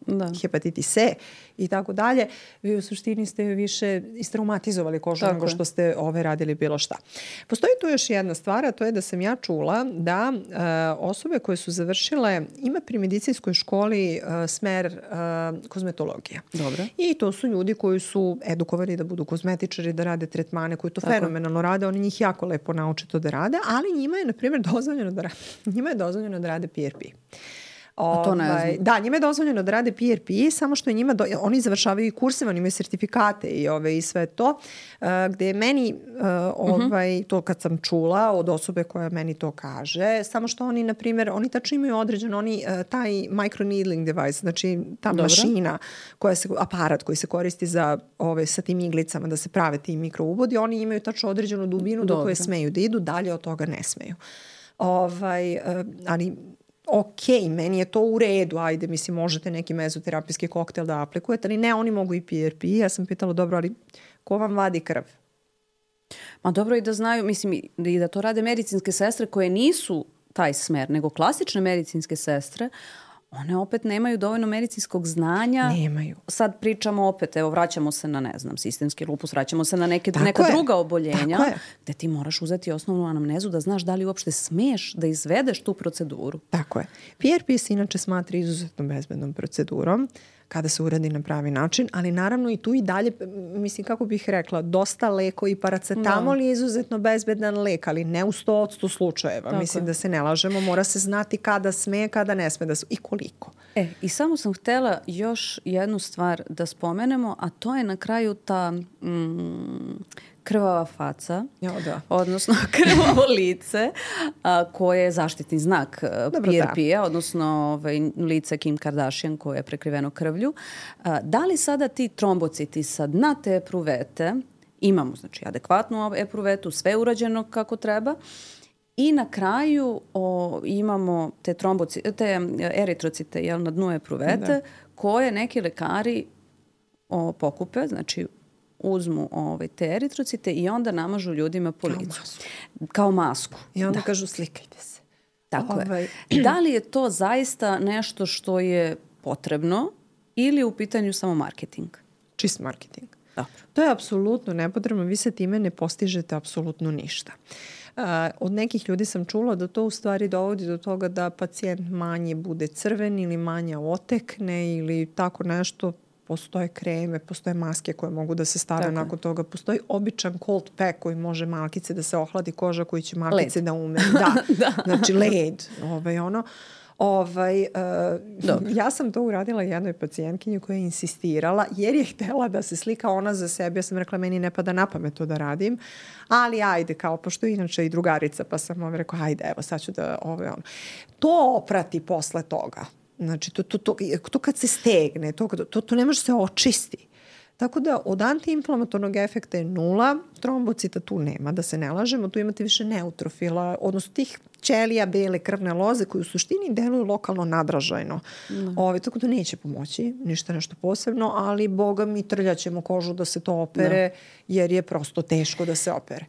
[SPEAKER 1] hepatitis C i tako dalje, vi u suštini ste više istraumatizovali kožu tako nego što je. Ste ove radili bilo šta. Postoji tu još jedna stvar, a to je da sam ja čula da uh, osobe koje su završile, ima pri medicinskoj školi uh, smer uh, kozmetologija.
[SPEAKER 2] Dobro.
[SPEAKER 1] I to su ljudi koji su edukovani da budu kozmetičari, da rade tretmane, koji to tako. Fenomenalno rade, oni njih jako lepo nauče to da rade, ali njima je, na primjer, dozvoljeno da rade, njima je dozvoljeno da rade P R P.
[SPEAKER 2] A to ne znam.
[SPEAKER 1] Da, njima je dozvoljeno da rade P R P, samo što je njima, do, oni završavaju i kurseve, oni imaju sertifikate i, ove, i sve to, uh, gde je meni, uh, ovaj, uh-huh. to kad sam čula od osobe koja meni to kaže, samo što oni, na primjer, oni tačno imaju određen, oni, uh, taj microneedling device, znači ta Dobro. Mašina, koja se, aparat koji se koristi za ove, sa tim iglicama da se prave ti mikroubodi, oni imaju tačno određenu dubinu Dobro. Do koje smeju da idu, dalje od toga ne smeju. Ovaj, uh, ali ok, meni je to u redu, ajde, mislim, možete neki mezoterapijski koktel da aplikujete, ali ne, oni mogu i P R P. Ja sam pitala, dobro, ali ko vam vadi krv?
[SPEAKER 2] Ma dobro i da znaju, mislim, i da to rade medicinske sestre koje nisu taj smer, nego klasične medicinske sestre, one opet nemaju dovoljno medicinskog znanja.
[SPEAKER 1] Nemaju.
[SPEAKER 2] Sad pričamo opet, evo, vraćamo se na, ne znam, sistemski lupus, vraćamo se na neke, neka je. druga oboljenja, gde ti moraš uzeti osnovnu anamnezu da znaš da li uopšte smeš da izvedeš tu proceduru.
[SPEAKER 1] Tako je. P R P se inače smatra izuzetno bezbednom procedurom kada se uradi na pravi način, ali naravno i tu i dalje, mislim, kako bih rekla, dosta leko i paracetamol je izuzetno bezbedan lek, ali ne u sto odsto slučajeva. Tako mislim je. Da se ne lažemo, mora se znati kada sme, kada ne sme da su i koliko.
[SPEAKER 2] E, i samo sam htela još jednu stvar da spomenemo, a to je na kraju ta mm, krvava faca,
[SPEAKER 1] ja, da.
[SPEAKER 2] Odnosno krvavo lice, a, koje je zaštitni znak Dobro, P R P-a, da. Odnosno ovaj, lice Kim Kardashian koje je prekriveno krvlju. A, da li sada ti trombociti sa dna te epruvete, imamo znači adekvatnu epruvetu, sve urađeno kako treba, i na kraju o, imamo te, tromboci, te eritrocite jel, na dnu epruvete da. Koje neki lekari o, pokupe, znači uzmu ovaj, te eritrocite i onda namažu ljudima po licu. Kao masku. Kao masku.
[SPEAKER 1] I onda
[SPEAKER 2] da.
[SPEAKER 1] Kažu slikajte se.
[SPEAKER 2] Tako ovaj. je. Da li je to zaista nešto što je potrebno ili je u pitanju samo marketing?
[SPEAKER 1] Čist marketing.
[SPEAKER 2] Dobro.
[SPEAKER 1] To je apsolutno nepotrebno. Vi se time ne postižete apsolutno ništa. Uh, od nekih ljudi sam čula da to u stvari dovodi do toga da pacijent manje bude crven ili manje otekne ili tako nešto. Postoje kreme, postoje maske koje mogu da se stave tako. Nakon toga. Postoji običan cold pack koji može malkice da se ohladi koža, koji će malkice led. Da ume. Da, da. Znači led. Ovaj, ono. Ovaj, uh, ja sam to uradila jednoj pacijentkinji koja je insistirala jer je htela da se slika ona za sebe. Ja sam rekla, meni ne pada na pamet to da radim, ali ajde, kao, pošto inače i drugarica, pa sam ovaj rekao, ajde, evo, sad ću da, ovaj, ono. To oprati posle toga. Znači, to, to, to, to kad se stegne, to, to, to ne može se očisti. Tako da od antiinflamatornog efekta je nula, trombocita tu nema, da se ne lažemo, tu imate više neutrofila, odnosno tih ćelija, bele krvne loze koji u suštini deluju lokalno nadražajno. Mm. Ove, tako da neće pomoći, ništa nešto posebno, ali boga mi trljaćemo kožu da se to opere, da. Jer je prosto teško da se opere.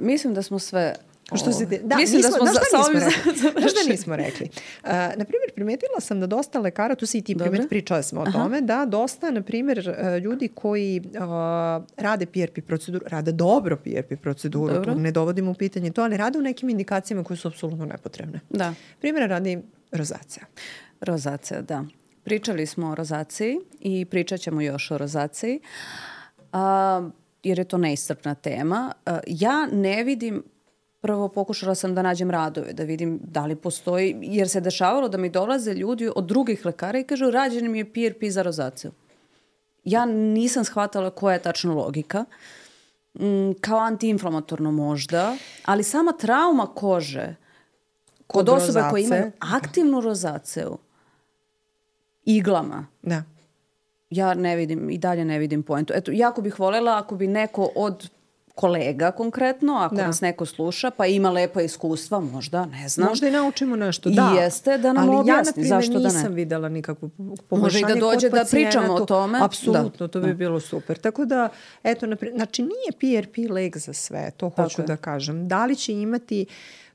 [SPEAKER 2] Mislim da smo sve...
[SPEAKER 1] Što se de... Da,
[SPEAKER 2] mislim
[SPEAKER 1] nismo,
[SPEAKER 2] da smo za,
[SPEAKER 1] nismo rekli. Znaš da nismo rekli. Uh, na primjer, primetila sam da dosta lekara, tu si i ti primet, pričali smo o Aha. tome, da dosta, na primjer, ljudi koji uh, rade P R P proceduru, rade dobro P R P proceduru, dobro. Ne dovodimo u pitanje to, ali rade u nekim indikacijama koje su apsolutno nepotrebne.
[SPEAKER 2] Da.
[SPEAKER 1] Primjer radi rozacija.
[SPEAKER 2] Rozacija, da. Pričali smo o rozaciji i pričat ćemo još o rozaciji, uh, jer je to neiscrpna tema. Uh, ja ne vidim Prvo pokušala sam da nađem radove, da vidim da li postoji, jer se dešavalo da mi dolaze ljudi od drugih lekara i kažu rađen mi je P R P za rozaciju. ja nisam shvatala koja je tačno logika. Mm, kao antiinflamatorno možda, ali sama trauma kože kod, kod osobe koje imaju aktivnu rozaceu iglama,
[SPEAKER 1] da.
[SPEAKER 2] ja ne vidim, i dalje ne vidim poentu. Eto, jako bih voljela ako bi neko od kolega konkretno, ako da. nas neko sluša, pa ima lepa iskustva, možda, ne znam.
[SPEAKER 1] Možda i naučimo nešto, da.
[SPEAKER 2] I jeste da nam ali objasni,
[SPEAKER 1] ja,
[SPEAKER 2] zašto da ne.
[SPEAKER 1] Ali ja, na primjer, nisam videla nikakvo poboljšanje.
[SPEAKER 2] Može i da dođe da pričamo o tome.
[SPEAKER 1] Apsolutno, da. to bi da. bilo super. Tako da, eto, naprimjer, znači nije P R P lek za sve, to hoću Tako da je. kažem. Da li će imati...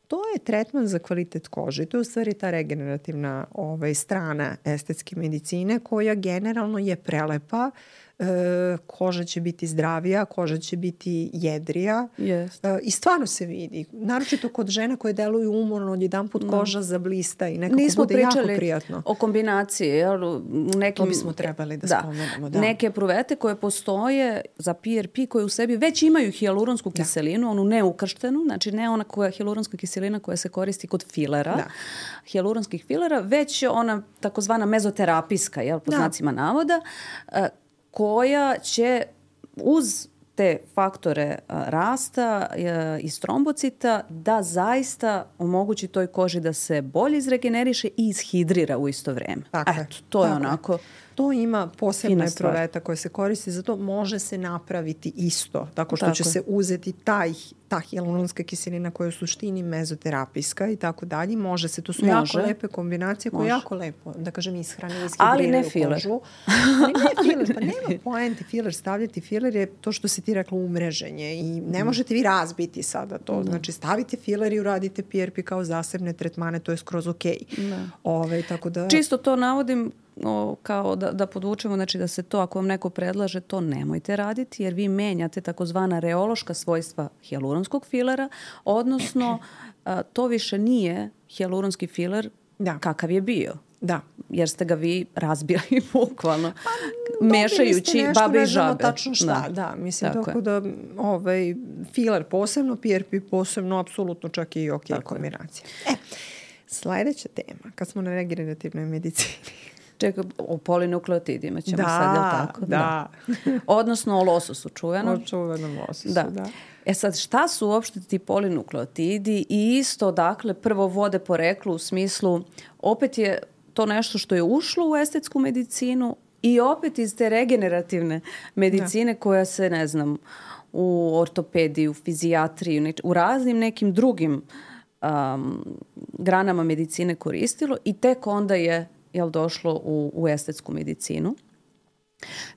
[SPEAKER 1] To je tretman za kvalitet kože i to je u stvari ta regenerativna ovaj, strana estetske medicine koja generalno je prelepa. E, koža će biti zdravija, koža će biti jedrija
[SPEAKER 2] yes.
[SPEAKER 1] e, i stvarno se vidi. Naročito kod žena koje deluju umorno, odjedan put koža zablista i nekako
[SPEAKER 2] Nismo
[SPEAKER 1] bude jako prijatno.
[SPEAKER 2] O kombinaciji. Jel, nekim,
[SPEAKER 1] to bismo trebali da,
[SPEAKER 2] da
[SPEAKER 1] spomenemo. Da.
[SPEAKER 2] Neke pruvete koje postoje za P R P koje u sebi već imaju hijaluronsku da. kiselinu, onu neukrštenu, znači ne ona koja hijaluronska kiselina koja se koristi kod filera, da. hijaluronskih filera, već ona takozvana mezoterapijska, jel, po da. znacima navoda, koja će uz te faktore rasta i strombocita da zaista omogući toj koži da se bolje izregeneriše i izhidrira u isto vreme.
[SPEAKER 1] Tako
[SPEAKER 2] Eto, to je
[SPEAKER 1] tako
[SPEAKER 2] onako...
[SPEAKER 1] To ima posebna proveta koja se koristi, zato može se napraviti isto. Tako što tako. će se uzeti taj, ta hijaluronska kiselina koja je u suštini mezoterapijska i tako dalje. Može se, to su može. jako lepe kombinacije koje može. jako lepo, da kažem, ishrane, ishidriraju kožu. Ali ne filer. Pa nema poente filer stavljati. Filer je to što si ti rekla umreženje i ne mm. možete vi razbiti sada to. Mm. Znači stavite filer i uradite P R P kao zasebne tretmane, to je skroz okej. Okay. Ove, tako da...
[SPEAKER 2] Čisto to navodim O, kao da, da podvučemo, znači da se to, ako vam neko predlaže, to nemojte raditi, jer vi menjate takozvana reološka svojstva hijaluronskog filera, odnosno a, to više nije hijaluronski filer da. kakav je bio.
[SPEAKER 1] Da.
[SPEAKER 2] Jer ste ga vi razbili bukvalno, pa, mešajući babe i žabe.
[SPEAKER 1] Tačno šta, da, da mislim tako, tako da ovaj, filer posebno, P R P posebno, apsolutno čak i ok kombinacija. E, sledeća tema, kad smo na regenerativnoj medicini.
[SPEAKER 2] Čekaj, o polinukleotidima ćemo
[SPEAKER 1] da,
[SPEAKER 2] sad, jel tako?
[SPEAKER 1] Da, da.
[SPEAKER 2] Odnosno o lososu čuvenom.
[SPEAKER 1] O čuvenom lososu,
[SPEAKER 2] da.
[SPEAKER 1] da.
[SPEAKER 2] E sad, šta su uopšte ti polinukleotidi i isto, dakle, prvo vode poreklu u smislu, opet je to nešto što je ušlo u estetsku medicinu i opet iz te regenerativne medicine da. koja se, ne znam, u ortopediji, u fizijatriji, u raznim nekim drugim um, granama medicine koristilo i tek onda je jel došlo u, u estetsku medicinu.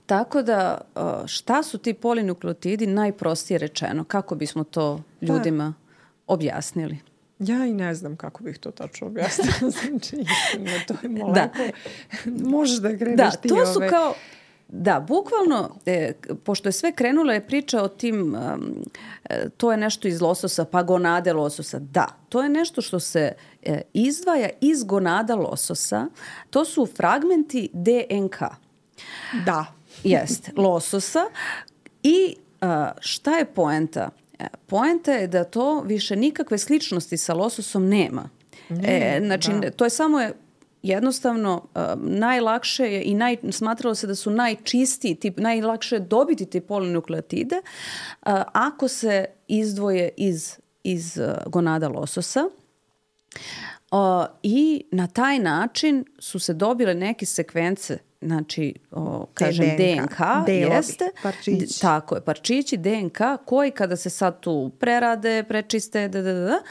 [SPEAKER 2] Tako da, šta su ti polinukleotidi, najprostije rečeno, kako bismo to ljudima da. objasnili?
[SPEAKER 1] Ja i ne znam kako bih to tačno objasnila. Znači, istina, to je molekula. Da. Možeš da kreneš
[SPEAKER 2] da,
[SPEAKER 1] ti
[SPEAKER 2] to su
[SPEAKER 1] ove...
[SPEAKER 2] kao, da, bukvalno, e, pošto je sve krenula je priča o tim, um, e, to je nešto iz lososa, pa gonade lososa. Da, to je nešto što se e, izdvaja iz gonada lososa. To su fragmenti D N K.
[SPEAKER 1] Da.
[SPEAKER 2] Jeste, lososa. I a, šta je poenta? E, poenta je da to više nikakve sličnosti sa lososom nema. Ne, e, znači, da. to je samo... Je, jednostavno uh, najlakše je i naj, smatralo se da su najčistiji tip, najlakše je dobiti te polinukleotide uh, ako se izdvoje iz, iz uh, gonada lososa. Uh, I na taj način su se dobile neke sekvence, znači, o, kažem, D N K,
[SPEAKER 1] delovi,
[SPEAKER 2] jeste,
[SPEAKER 1] parčići.
[SPEAKER 2] Tako je, parčići D N K koji kada se sad tu prerade, prečiste, da, da, da,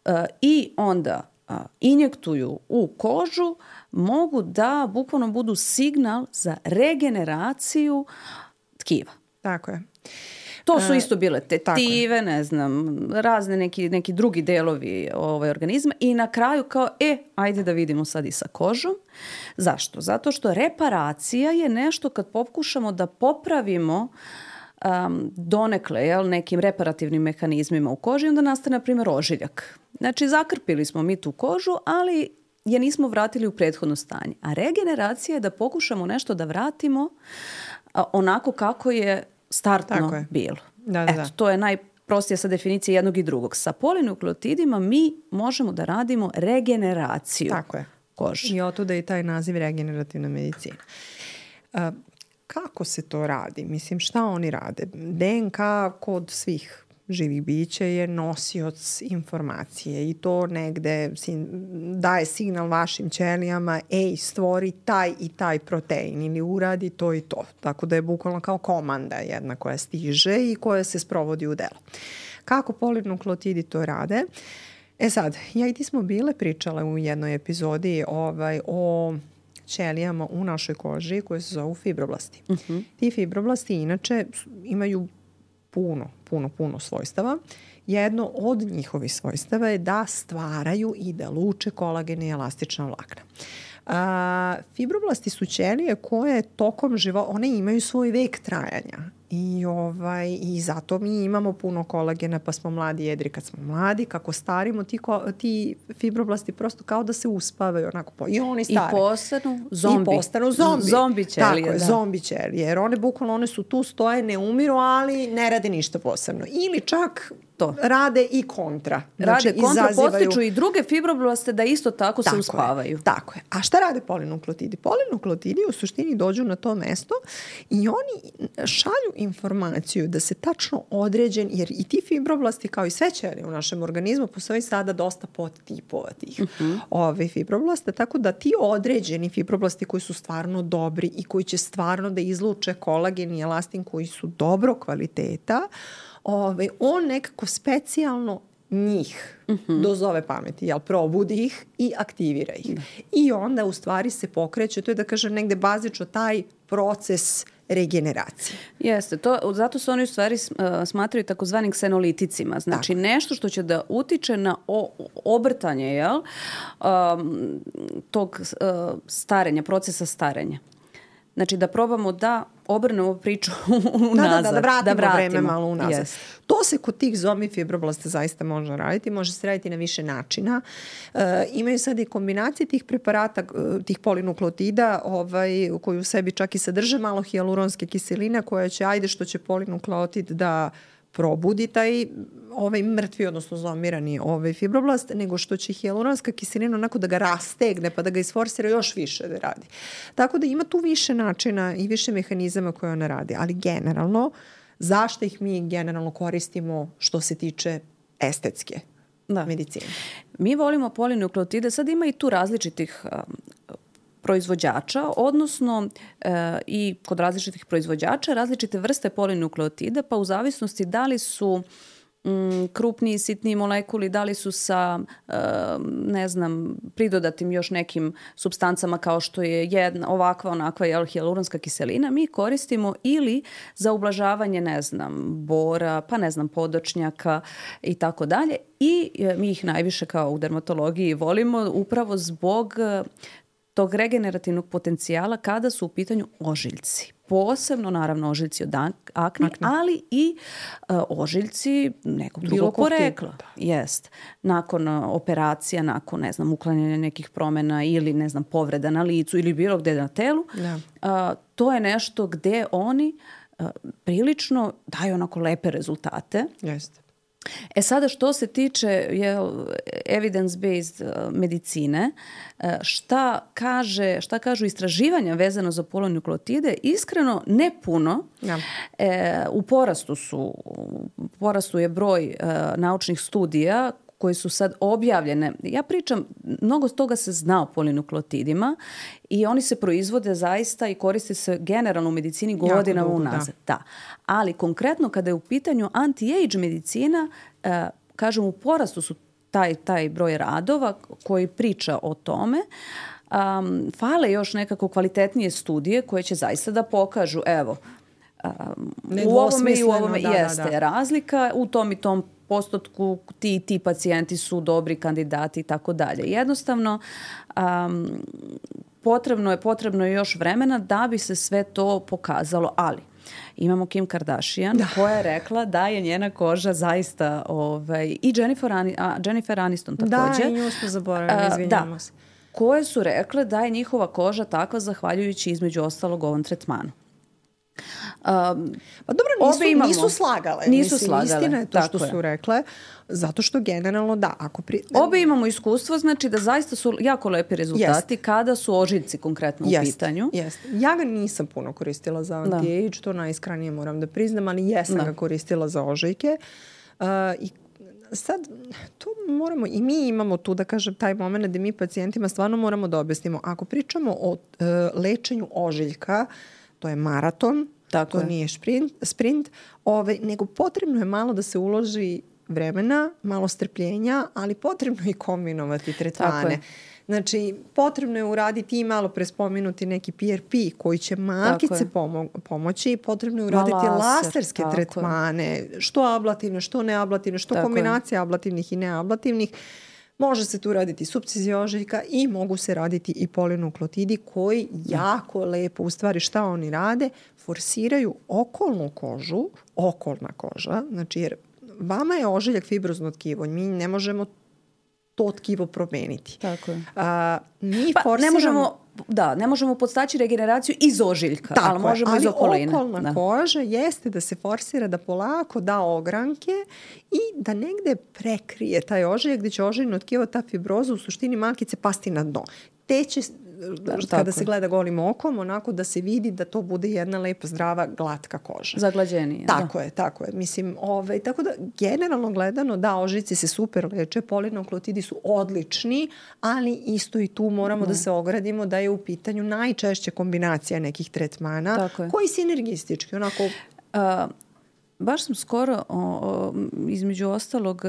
[SPEAKER 2] uh, i onda a, injektuju u kožu, mogu da bukvalno budu signal za regeneraciju tkiva.
[SPEAKER 1] Tako je.
[SPEAKER 2] To su isto bile tetive, ne znam, razne neki, neki drugi delovi ovaj, organizma i na kraju kao, e, ajde da vidimo sad i sa kožom. Zašto? Zato što reparacija je nešto kad pokušamo da popravimo um, donekle, jel, nekim reparativnim mehanizmima u koži, onda nastane, na primjer, ožiljak. Znači, zakrpili smo mi tu kožu, ali je nismo vratili u prethodno stanje. A regeneracija je da pokušamo nešto da vratimo a, onako kako je startno je. bilo.
[SPEAKER 1] Da, da,
[SPEAKER 2] Eto,
[SPEAKER 1] da.
[SPEAKER 2] to je najprostija sa definicije jednog i drugog. Sa polinukleotidima mi možemo da radimo regeneraciju
[SPEAKER 1] Tako je.
[SPEAKER 2] kože.
[SPEAKER 1] I otuda i taj naziv regenerativna medicina. Uh, kako se to radi? Mislim, šta oni rade? D N K kod svih živih bića je nosioc informacije i to negde daje signal vašim ćelijama, ej, stvori taj i taj protein ili uradi to i to. Tako da je bukvalno kao komanda jedna koja stiže i koja se sprovodi u delo. Kako polinukleotidi to rade? E sad, ja i ti smo bile pričale u jednoj epizodi ovaj, o ćelijama u našoj koži koje se zovu fibroblasti. Uh-huh. Ti fibroblasti inače imaju puno, puno, puno svojstava. Jedno od njihovih svojstava je da stvaraju i da luče kolagen i elastična vlakna. A, fibroblasti su ćelije koje tokom života, one imaju svoj vek trajanja i, ovaj, i zato mi imamo puno kolagena pa smo mladi jedri kad smo mladi, kako starimo ti, ko, ti fibroblasti prosto kao da se uspavaju onako po, i oni stari.
[SPEAKER 2] I postanu zombi.
[SPEAKER 1] I postanu zombi.
[SPEAKER 2] Zombi ćelije.
[SPEAKER 1] Tako je,
[SPEAKER 2] da.
[SPEAKER 1] zombi ćelije, jer one bukvalno one su tu, stoje, ne umiru, ali ne rade ništa posebno. Ili čak to. Rade i kontra.
[SPEAKER 2] Znači, rade kontra,
[SPEAKER 1] izazivaju...
[SPEAKER 2] postiču i druge fibroblaste da isto tako, tako se uspavaju.
[SPEAKER 1] Je, tako je. A šta rade polinukleotidi? Polinukleotidi u suštini dođu na to mesto i oni šalju informaciju da se tačno određen, jer i ti fibroblasti kao i sve ćelije u našem organizmu postoji sada dosta podtipova tih uh-huh. ove fibroblasta, tako da ti određeni fibroblasti koji su stvarno dobri i koji će stvarno da izluče kolagen i elastin koji su dobro kvaliteta, Ove, on nekako specijalno njih uh-huh. dozove pameti, jel, probudi ih i aktivira ih. Uh-huh. I onda u stvari se pokreće, to je da kažem negde bazično taj proces regeneracije.
[SPEAKER 2] Jeste, to, zato se oni u stvari smatraju takozvanim ksenoliticima. Znači tako. Nešto što će da utiče na o, obrtanje jel, um, tog uh, starenja, procesa starenja. Znači da probamo da obrnemo priču unazad.
[SPEAKER 1] Da, da, da, da vratimo, da vratimo vreme malo unazad.
[SPEAKER 2] Yes.
[SPEAKER 1] To se kod tih zombi fibroblasta zaista može raditi. Može se raditi na više načina. E, imaju sad i kombinacije tih preparata, tih polinukleotida ovaj, koji u sebi čak i sadrže malo hijaluronske kiseline koja će, ajde što će polinukleotid da probudi taj ovaj mrtvi, odnosno zombirani ovaj fibroblast, nego što će hijaluronska kiselina onako da ga rastegne pa da ga isforsira još više da radi. Tako da ima tu više načina i više mehanizama koje ona radi, ali generalno zašto ih mi generalno koristimo što se tiče estetske da. medicine?
[SPEAKER 2] Mi volimo polinukleotide, sad ima i tu različitih um, proizvođača, odnosno e, i kod različitih proizvođača različite vrste polinukleotida, pa u zavisnosti da li su m, krupniji, sitniji molekuli, da li su sa, e, ne znam, pridodatim još nekim supstancama kao što je jedna, ovakva, onakva jel, hijaluronska kiselina, mi koristimo ili za ublažavanje, ne znam, bora, pa ne znam, podočnjaka i tako dalje. I e, mi ih najviše kao u dermatologiji volimo upravo zbog tog regenerativnog potencijala kada su u pitanju ožiljci. Posebno, naravno, ožiljci od akne, akne. ali i uh, ožiljci nekog drugog porekla. Jest. Nakon uh, operacija, nakon, ne znam, uklanjanja nekih promjena ili, ne znam, povreda na licu ili bilo gde na telu, uh, to je nešto gde oni uh, prilično daju onako lepe rezultate.
[SPEAKER 1] Jeste.
[SPEAKER 2] E sada što se tiče jel, evidence-based uh, medicine, uh, šta, kaže, šta kažu istraživanja vezano za polinukleotide, iskreno ne puno. Ja. E, u porastu su, u porastu je broj uh, naučnih studija koje su sad objavljene. Ja pričam, mnogo toga se zna o polinukleotidima i oni se proizvode zaista i koriste se generalno u medicini godinama unazad. Da. da. Ali konkretno kada je u pitanju anti-age medicina, eh, kažem u porastu su taj, taj broj radova koji priča o tome. Um, fale još nekako kvalitetnije studije koje će zaista da pokažu, evo, um, u ovome i u ovome da, jeste da, da. razlika, u tom i tom postotku ti ti pacijenti su dobri kandidati i tako dalje. Jednostavno um, potrebno je potrebno je još vremena da bi se sve to pokazalo, ali imamo Kim Kardashian da. koja je rekla da je njena koža zaista ovaj, i Jennifer, Ani, a, Jennifer Aniston također.
[SPEAKER 1] Da, i nju smo zaboravili, izvinjamo se.
[SPEAKER 2] Koje su rekle da je njihova koža takva zahvaljujući između ostalog ovom tretmanu. Um,
[SPEAKER 1] pa dobro, nisu, nisu slagale.
[SPEAKER 2] Nisu
[SPEAKER 1] Mislim,
[SPEAKER 2] slagale.
[SPEAKER 1] Istina je to što je. su rekle, zato što generalno da. Ako pri...
[SPEAKER 2] Obe imamo iskustvo, znači da zaista su jako lepi rezultati jest. Kada su ožiljci konkretno u
[SPEAKER 1] jest,
[SPEAKER 2] pitanju.
[SPEAKER 1] Jest. Ja ga nisam puno koristila za anti-age, to najiskranije moram da priznam, ali jesam da. ga koristila za ožiljke. Uh, I sad, tu moramo, i mi imamo tu, da kažem, taj moment da mi pacijentima stvarno moramo da objasnimo. Ako pričamo o uh, lečenju ožiljka, to je maraton, tako to je. Nije sprint, sprint ove, nego potrebno je malo da se uloži vremena, malo strpljenja, ali potrebno je i kombinovati tretmane. Znači, potrebno je uraditi i malo prespomenuti neki P R P koji će malkice pomo- pomoći. Potrebno je uraditi laser, laserske tretmane, je. Što ablativne, što neablativne, što tako kombinacija je. Ablativnih i neablativnih. Može se tu raditi supcizija ožiljka i mogu se raditi i polinukleotidi koji jako lepo, u stvari šta oni rade, forsiraju okolnu kožu, okolna koža, znači jer vama je ožiljak fibrozno tkivo, mi ne možemo to tkivo promeniti.
[SPEAKER 2] Tako je.
[SPEAKER 1] A, mi
[SPEAKER 2] pa
[SPEAKER 1] forsiramo...
[SPEAKER 2] ne možemo, da, ne možemo podstaći regeneraciju iz ožiljka,
[SPEAKER 1] tako
[SPEAKER 2] ali možemo
[SPEAKER 1] ali
[SPEAKER 2] iz okoline.
[SPEAKER 1] Ali okolna
[SPEAKER 2] da.
[SPEAKER 1] koža jeste da se forsira da polako da ogranke i da negde prekrije taj ožiljak gde će ožiljno tkivo, ta fibroza u suštini malkice pasti na dno. Te će, da, kada se gleda golim okom, onako da se vidi da to bude jedna lepa, zdrava, glatka koža.
[SPEAKER 2] Zaglađenije.
[SPEAKER 1] Tako
[SPEAKER 2] da.
[SPEAKER 1] je, tako je. Mislim, ovaj, tako da generalno gledano, da, ožiljci se super leče, polinukleotidi su odlični, ali isto i tu moramo da, da se ogradimo da je u pitanju najčešće kombinacija nekih tretmana koji sinergistički, onako...
[SPEAKER 2] Uh, Baš sam skoro, o, o, između ostalog,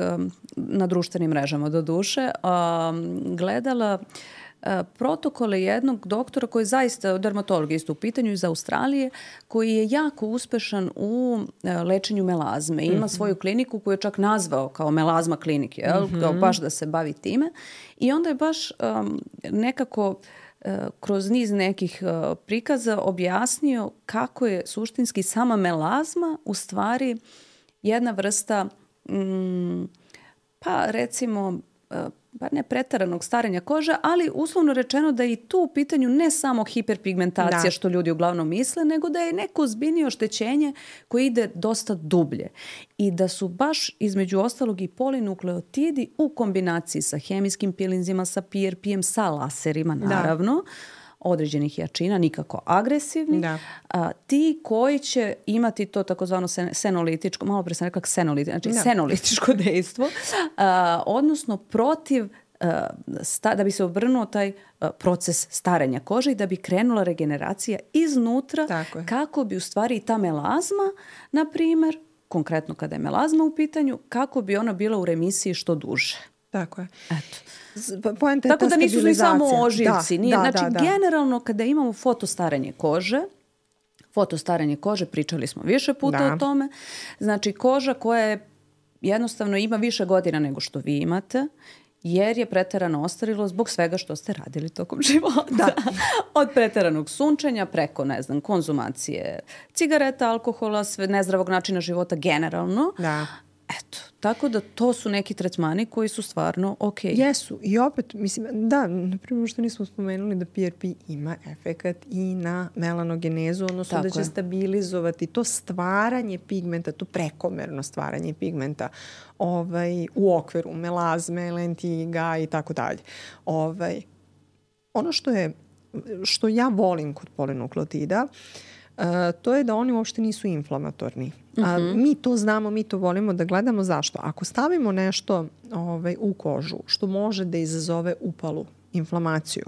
[SPEAKER 2] na društvenim mrežama do duše, a, gledala a, protokole jednog doktora koji je zaista dermatolog isto u pitanju iz Australije, koji je jako uspešan u a, lečenju melazme. Ima mm-hmm. svoju kliniku koju je čak nazvao kao melazma klinik, jel? Mm-hmm. Kao baš da se bavi time. I onda je baš a, nekako... kroz niz nekih uh, prikaza objasnio kako je suštinski sama melazma u stvari jedna vrsta mm, pa recimo uh, pa ne preteranog starenja kože, ali uslovno rečeno da je i tu u pitanju ne samo hiperpigmentacija da. Što ljudi uglavnom misle, nego da je neko ozbiljnije oštećenje koje ide dosta dublje. I da su baš između ostalog i polinukleotidi u kombinaciji sa hemijskim pilinzima, sa P R P-em, sa laserima naravno, da. Određenih jačina, nikako agresivni, da. A, ti koji će imati to takozvano sen, senolitičko, malo pre sam rekla senolitičko, znači da. senolitičko dejstvo, a, odnosno protiv, a, sta, da bi se obrnuo taj a, proces starenja kože i da bi krenula regeneracija iznutra, kako bi u stvari i ta melazma, na primjer, konkretno kada je melazma u pitanju, kako bi ona bila u remisiji što duže.
[SPEAKER 1] Tako je.
[SPEAKER 2] Eto.
[SPEAKER 1] Poenta
[SPEAKER 2] Tako da nisu ni samo ožiljci.
[SPEAKER 1] Da,
[SPEAKER 2] Nije,
[SPEAKER 1] da,
[SPEAKER 2] znači,
[SPEAKER 1] da, da.
[SPEAKER 2] generalno kada imamo fotostarenje kože, fotostarenje kože, pričali smo više puta da. O tome, znači koža koja je jednostavno ima više godina nego što vi imate, jer je preterano ostarilo zbog svega što ste radili tokom života. Da. Od preteranog sunčenja preko, ne znam, konzumacije cigareta, alkohola, sve nezdravog načina života generalno.
[SPEAKER 1] Da.
[SPEAKER 2] Eto, tako da to su neki tretmani koji su stvarno ok.
[SPEAKER 1] Jesu. I opet, mislim, da, naprimjer što nismo spomenuli da P R P ima efekat i na melanogenezu, odnosno tako da će je. Stabilizovati to stvaranje pigmenta, to prekomerno stvaranje pigmenta ovaj, u okviru melazme, lentiga i tako dalje. Ovaj, ono što je, što ja volim kod polinukleotida, Uh, to je da oni uopšte nisu inflamatorni. Uh, uh-huh. Mi to znamo, mi to volimo da gledamo. Zašto? Ako stavimo nešto ovaj, u kožu što može da izazove upalu, inflamaciju,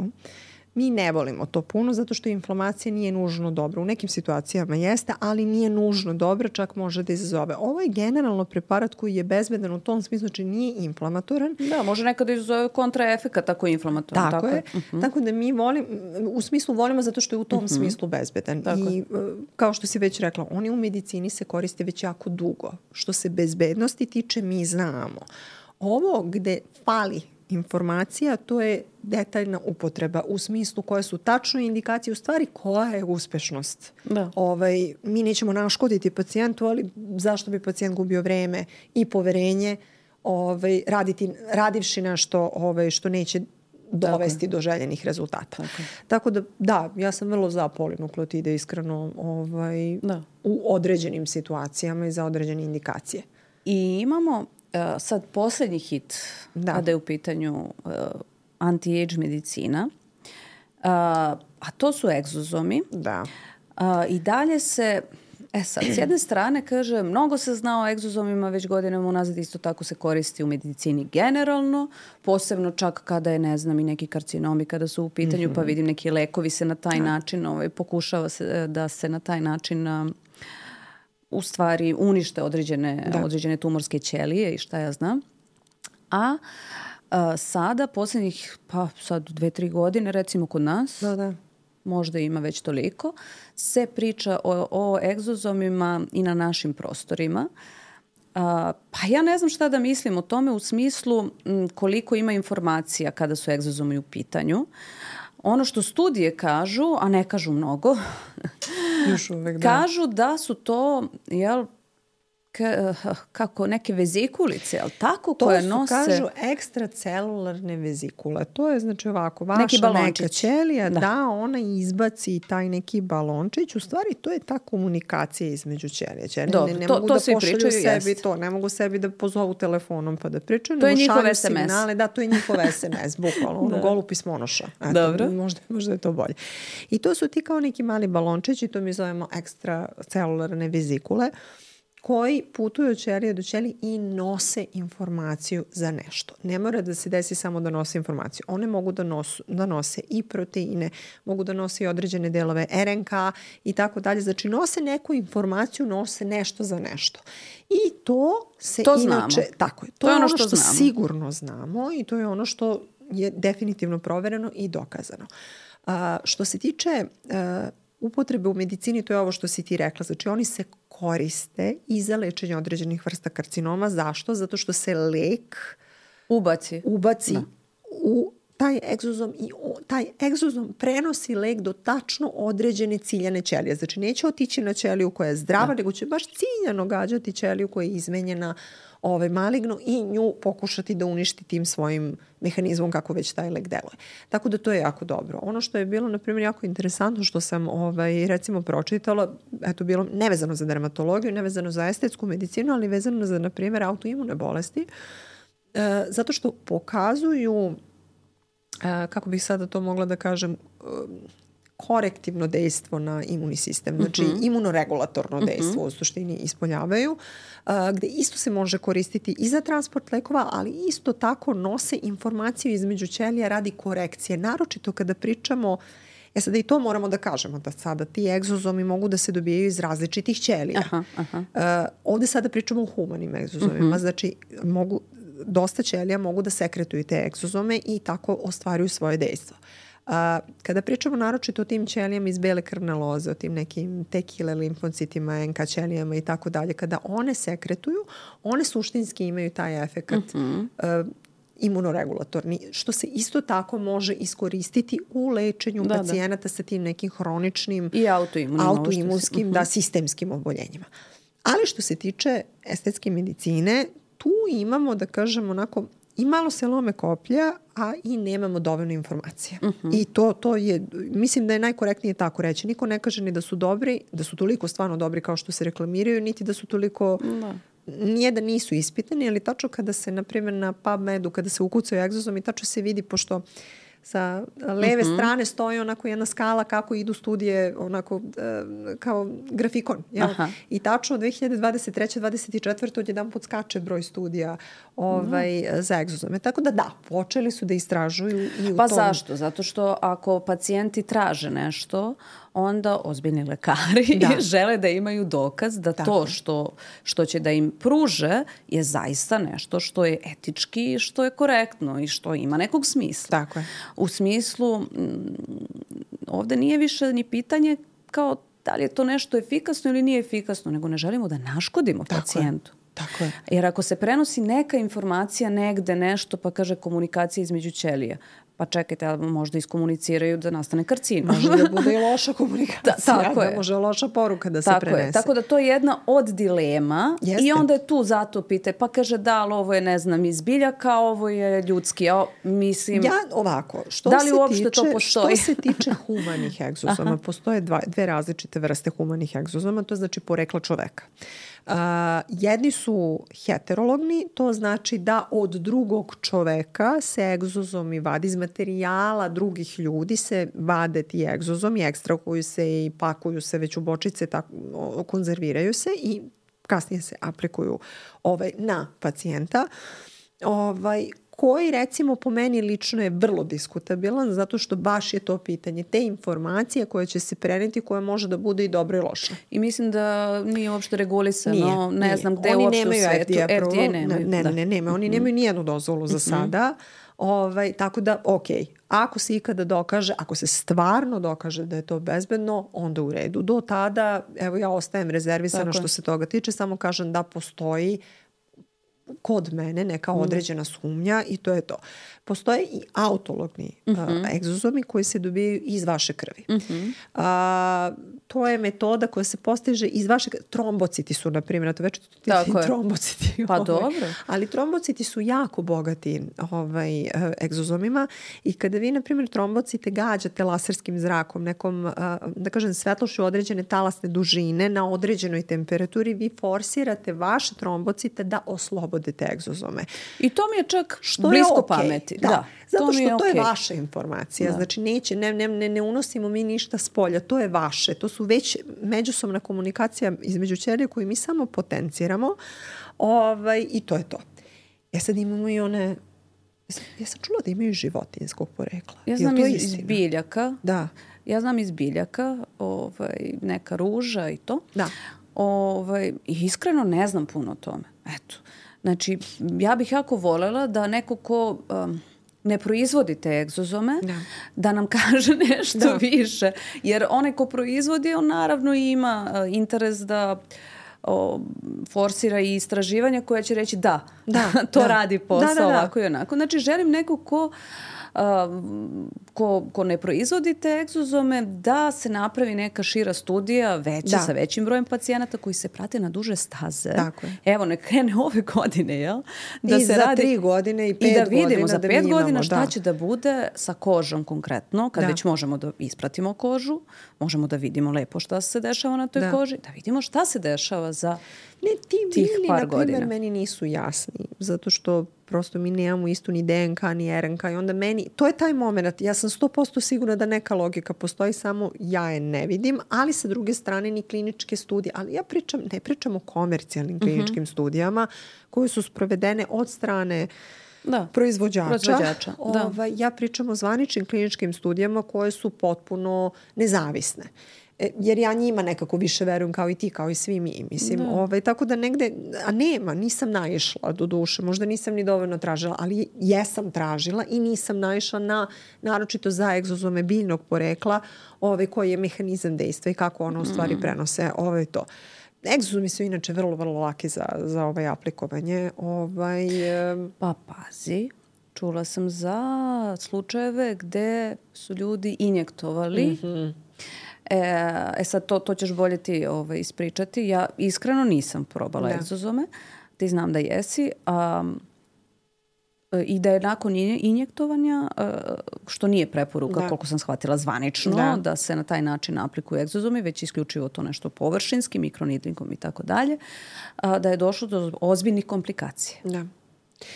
[SPEAKER 1] mi ne volimo to puno zato što inflamacija nije nužno dobra. U nekim situacijama jeste, ali nije nužno dobra, čak može da izazove. Ovo je generalno preparat koji je bezbedan u tom smislu, znači nije inflamatoran.
[SPEAKER 2] Da, može nekada izazove kontraefekat ako je inflamatoran.
[SPEAKER 1] Tako, tako je. Uh-huh. Tako da mi volimo, u smislu volimo zato što je u tom uh-huh. smislu bezbedan. Tako. I kao što si već rekla, oni u medicini se koriste već jako dugo. Što se bezbednosti tiče, mi znamo. Ovo gde fali informacija, to je detaljna upotreba u smislu koje su tačne indikacije, u stvari koja je uspešnost.
[SPEAKER 2] Da.
[SPEAKER 1] Ovaj, mi nećemo naškoditi pacijentu, ali zašto bi pacijent gubio vreme i poverenje ovaj, raditi, radivši nešto ovaj, što neće dovesti do željenih rezultata. Tako, Tako da, da, ja sam vrlo za polinukleotide, iskreno, ovaj, da. u određenim situacijama i za određene indikacije.
[SPEAKER 2] I imamo uh, sad posljednji hit da. kada je u pitanju uh, anti-age medicina, uh, a to su egzozomi.
[SPEAKER 1] Da.
[SPEAKER 2] Uh, I dalje se... E sad, s jedne strane, kaže, mnogo se zna o egzozomima već godinama unazad, isto tako se koristi u medicini generalno, posebno čak kada je, ne znam, i neki karcinomi kada su u pitanju, mm-hmm. pa vidim neki lekovi se na taj način, ovaj, pokušava se da se na taj način um, u stvari unište određene, određene tumorske ćelije i šta ja znam. A uh, sada, posljednjih, pa sad dve, tri godine, recimo kod nas,
[SPEAKER 1] da, da.
[SPEAKER 2] možda ima već toliko, se priča o, o egzozomima i na našim prostorima. A, pa ja ne znam šta da mislim o tome u smislu m, koliko ima informacija kada su egzozomi u pitanju. Ono što studije kažu, a ne kažu mnogo,
[SPEAKER 1] još uvek, da.
[SPEAKER 2] kažu da su to, jel, K, kako neke vezikulice, ali tako
[SPEAKER 1] to
[SPEAKER 2] koje
[SPEAKER 1] su,
[SPEAKER 2] nose...
[SPEAKER 1] To su, kažu, ekstracelularne vezikule. To je, znači, ovako, vaša neka ćelija, da. da, ona izbaci taj neki balončić. U stvari, to je ta komunikacija između ćelije. Ćelije
[SPEAKER 2] Dobro,
[SPEAKER 1] ne, ne
[SPEAKER 2] to,
[SPEAKER 1] mogu
[SPEAKER 2] to
[SPEAKER 1] da
[SPEAKER 2] svi
[SPEAKER 1] pošalju
[SPEAKER 2] pričaju,
[SPEAKER 1] sebi
[SPEAKER 2] jest.
[SPEAKER 1] to. Ne mogu sebi da pozovu telefonom pa da pričaju.
[SPEAKER 2] To je njihov es em es.
[SPEAKER 1] Signale, da, to je njihov es em es, bukvalno. Ono, golu pismonoša. Eto,
[SPEAKER 2] Dobro.
[SPEAKER 1] Možda, možda je to bolje. I to su ti kao neki mali balončići, to mi zovemo ekstracelularne vezikule, koji putuju od ćelije do ćelije i nose informaciju za nešto. Ne mora da se desi samo da nose informaciju. One mogu da, nosu, da nose i proteine, mogu da nose i određene delove er en ka i tako dalje. Znači, nose neku informaciju, nose nešto za nešto. I to se
[SPEAKER 2] to
[SPEAKER 1] inače...
[SPEAKER 2] Znamo.
[SPEAKER 1] Tako je. To, to je ono što, što sigurno znamo i to je ono što je definitivno provereno i dokazano. A, što se tiče... A, upotrebe u medicini, to je ovo što si ti rekla. Znači, oni se koriste i za lečenje određenih vrsta karcinoma. Zašto? Zato što se lek
[SPEAKER 2] ubaci,
[SPEAKER 1] ubaci u taj egzozom i taj egzozom prenosi lek do tačno određene ciljane ćelije. Znači, neće otići na ćeliju koja je zdrava, da. nego će baš ciljano gađati ćeliju koja je izmenjena ovaj, maligno i nju pokušati da uništi tim svojim mehanizmom kako već taj lek deluje. Tako da to je jako dobro. Ono što je bilo, na primjer, jako interesantno što sam ovaj, recimo pročitala, eto bilo nevezano za dermatologiju, nevezano za estetsku medicinu, ali vezano za, na primjer, autoimune bolesti, e, zato što pokazuju, e, kako bih sada to mogla da kažem, e, korektivno dejstvo na imunni sistem. Znači, mm-hmm. imunoregulatorno dejstvo mm-hmm. u suštini ispoljavaju, uh, gde isto se može koristiti i za transport lekova, ali isto tako nose informaciju između ćelija radi korekcije. Naročito kada pričamo, e sada i to moramo da kažemo, da sada ti egzozomi mogu da se dobijaju iz različitih ćelija.
[SPEAKER 2] Aha, aha.
[SPEAKER 1] Uh, ovde sada pričamo o humanim egzozomima, mm-hmm. znači mogu, dosta ćelija mogu da sekretuju te egzozome i tako ostvaruju svoje dejstvo. Uh, kada pričamo naročito o tim ćelijama iz bele krvne loze, o tim nekim tekile limfocitima, en ka ćelijama i tako dalje, kada one sekretuju, one suštinski imaju taj efekat mm-hmm. uh, imunoregulatorni, što se isto tako može iskoristiti u lečenju da, pacijenata da. sa tim nekim hroničnim
[SPEAKER 2] i autoimunskim,
[SPEAKER 1] autoimunskim uh-huh. da, sistemskim oboljenjima. Ali što se tiče estetske medicine, tu imamo, da kažem, onako, i malo se lome koplja, a i nemamo dovoljno informacija. Uh-huh. I to, to je, mislim da je najkorektnije tako reći. Niko ne kaže ni da su dobri, da su toliko stvarno dobri kao što se reklamiraju, niti da su toliko... Da. Nije da nisu ispitani, ali tačno kada se, na primjer, na PubMedu, kada se ukucaju egzozomi, tačno se vidi, pošto sa leve uh-huh. strane stoji onako jedna skala kako idu studije, onako uh, kao grafikon. Jel? I tačno od dve hiljade dvadeset treće dvadeset četvrte odjedan put skače broj studija ovaj, uh-huh. za egzozome. Tako da da, počeli su da istražuju i u
[SPEAKER 2] pa
[SPEAKER 1] tom...
[SPEAKER 2] zašto? Zato što ako pacijenti traže nešto, onda ozbiljni lekari da. žele da imaju dokaz da Tako. to što, što će da im pruže je zaista nešto što je etički, što je korektno i što ima nekog smisla.
[SPEAKER 1] Tako je.
[SPEAKER 2] U smislu, m, ovde nije više ni pitanje kao da li je to nešto efikasno ili nije efikasno, nego ne želimo da naškodimo Tako pacijentu.
[SPEAKER 1] Je. Tako je.
[SPEAKER 2] Jer ako se prenosi neka informacija negde nešto, pa kaže komunikacija između ćelija, pa čekajte, ali možda iskomuniciraju da nastane karcinom.
[SPEAKER 1] Može da bude i loša komunikacija,
[SPEAKER 2] da, tako
[SPEAKER 1] da
[SPEAKER 2] je.
[SPEAKER 1] Može loša poruka da
[SPEAKER 2] tako
[SPEAKER 1] se prenese.
[SPEAKER 2] Je. Tako da to je jedna od dilema.
[SPEAKER 1] Jeste.
[SPEAKER 2] I onda je tu zato pite, pa kaže da, ali ovo je, ne znam, iz biljaka, ovo je ljudski. Ja, mislim,
[SPEAKER 1] ja ovako, što
[SPEAKER 2] da li
[SPEAKER 1] se
[SPEAKER 2] uopšte
[SPEAKER 1] tiče,
[SPEAKER 2] to postoji?
[SPEAKER 1] Što se tiče humanih egzozoma, postoje dva, dve različite vrste humanih egzozoma, to znači porekla čoveka. Uh, jedni su heterologni, to znači da od drugog čoveka se egzozomi vadi iz materijala drugih ljudi, se vade ti egzozomi, ekstrahuju se i pakuju se već u bočice, tako, konzerviraju se i kasnije se aplikuju ovaj, na pacijenta. Ovaj, koji recimo po meni lično je vrlo diskutabilan zato što baš je to pitanje te informacije koje će se preneti koja može da bude i dobra i loša.
[SPEAKER 2] I mislim da nije uopšte regulisano,
[SPEAKER 1] nije,
[SPEAKER 2] ne
[SPEAKER 1] nije.
[SPEAKER 2] znam gde
[SPEAKER 1] oni
[SPEAKER 2] uopšte u svetu.
[SPEAKER 1] F D A,
[SPEAKER 2] F D A nemaju.
[SPEAKER 1] Ne, ne, ne, nema. Oni nemaju nijednu dozvolu za sada. Ovaj, tako da, ok, ako se ikada dokaže, ako se stvarno dokaže da je to bezbedno, onda u redu. Do tada, evo ja ostajem rezervisana što se toga tiče, samo kažem da postoji kod mene neka određena sumnja i to je to. Postoje i autologni uh-huh. uh, egzozomi koji se dobijaju iz vaše krvi. Uh-huh. Uh, to je metoda koja se postiže iz vaše krvi. Trombociti su, na primjer, to već trombociti.
[SPEAKER 2] Pa
[SPEAKER 1] ovaj.
[SPEAKER 2] dobro.
[SPEAKER 1] Ali trombociti su jako bogati ovaj, uh, egzozomima i kada vi, na primjer, trombocite gađate laserskim zrakom, nekom, uh, da kažem, svetlošću određene talasne dužine na određenoj temperaturi, vi forsirate vaše trombocite da oslobode te egzozome.
[SPEAKER 2] I to mi je čak što blisko je okay. pameti.
[SPEAKER 1] Da, da. Zato što
[SPEAKER 2] to,
[SPEAKER 1] to
[SPEAKER 2] okay.
[SPEAKER 1] je vaša informacija. Da. Znači neće, ne, ne, ne, ne unosimo mi ništa s polja. To je vaše. To su već međusobna komunikacija između ćelija koju mi samo potenciramo. Ovaj, I to je to. Ja sad imamo i one... Ja sam čula da imaju životinjskog porekla.
[SPEAKER 2] Ja znam iz, iz biljaka.
[SPEAKER 1] Da.
[SPEAKER 2] Ja znam iz biljaka ovaj, neka ruža i to.
[SPEAKER 1] Da.
[SPEAKER 2] Ovaj, I iskreno ne znam puno o tome. Eto. Znači, ja bih jako voljela da neko ko um, ne proizvodi te egzozome, da, da nam kaže nešto da. više. Jer onaj ko proizvodi, on naravno ima uh, interes da o, forsira i istraživanja koja će reći da,
[SPEAKER 1] da
[SPEAKER 2] to
[SPEAKER 1] da.
[SPEAKER 2] radi posao
[SPEAKER 1] da, da, da.
[SPEAKER 2] ovako i onako. Znači, želim neko ko... Uh, ko, ko ne proizvodi te egzozome, da se napravi neka šira studija veća, da. sa većim brojem pacijenata koji se prate na duže staze.
[SPEAKER 1] Tako je.
[SPEAKER 2] Evo, ne krene ove godine, jel?
[SPEAKER 1] Da I se za radi, tri godine i pet godina.
[SPEAKER 2] I da vidimo
[SPEAKER 1] godina,
[SPEAKER 2] za
[SPEAKER 1] da
[SPEAKER 2] pet godina
[SPEAKER 1] imamo,
[SPEAKER 2] šta
[SPEAKER 1] da.
[SPEAKER 2] će da bude sa kožom konkretno, kad
[SPEAKER 1] da.
[SPEAKER 2] već možemo da ispratimo kožu, možemo da vidimo lepo šta se dešava na toj
[SPEAKER 1] da.
[SPEAKER 2] koži, da vidimo šta se dešava za
[SPEAKER 1] ne, ti
[SPEAKER 2] tih
[SPEAKER 1] bili,
[SPEAKER 2] par
[SPEAKER 1] na primjer,
[SPEAKER 2] godina.
[SPEAKER 1] Meni nisu jasni, zato što prosto mi nemamo istu ni D N K, ni R N K i onda meni, to je taj moment, ja sam sto posto sigurna da neka logika postoji, samo ja je ne vidim, ali sa druge strane ni kliničke studije, ali ja pričam, ne pričam o komercijalnim kliničkim uh-huh. studijama koje su sprovedene od strane da. proizvođača.
[SPEAKER 2] proizvođača da.
[SPEAKER 1] Ovaj, ja pričam o zvaničnim kliničkim studijama koje su potpuno nezavisne. Jer ja njima nekako više verujem kao i ti, kao i svi mi. Mislim, da. Ovaj, tako da negde, a nema, nisam naišla do duše, možda nisam ni dovoljno tražila, ali jesam tražila i nisam naišla na, naročito za egzozome biljnog porekla, ovaj, koji je mehanizam dejstva i kako ono u stvari prenose ovaj, to. Egzozomi su inače vrlo, vrlo laki za, za ovaj aplikovanje. Ovaj,
[SPEAKER 2] pa pazi, čula sam za slučajeve gde su ljudi injektovali
[SPEAKER 1] mm-hmm.
[SPEAKER 2] E, e sad, to, to ćeš bolje ti ovaj, ispričati. Ja iskreno nisam probala da. egzozome. Ti znam da jesi. Um, I da je nakon injektovanja, što nije preporuka, da. koliko sam shvatila zvanično, da. da se na taj način aplikuju egzozomi, već isključivo to nešto površinski, mikronidlinkom i tako dalje, da je došlo do ozbiljnih komplikacija.
[SPEAKER 1] Da.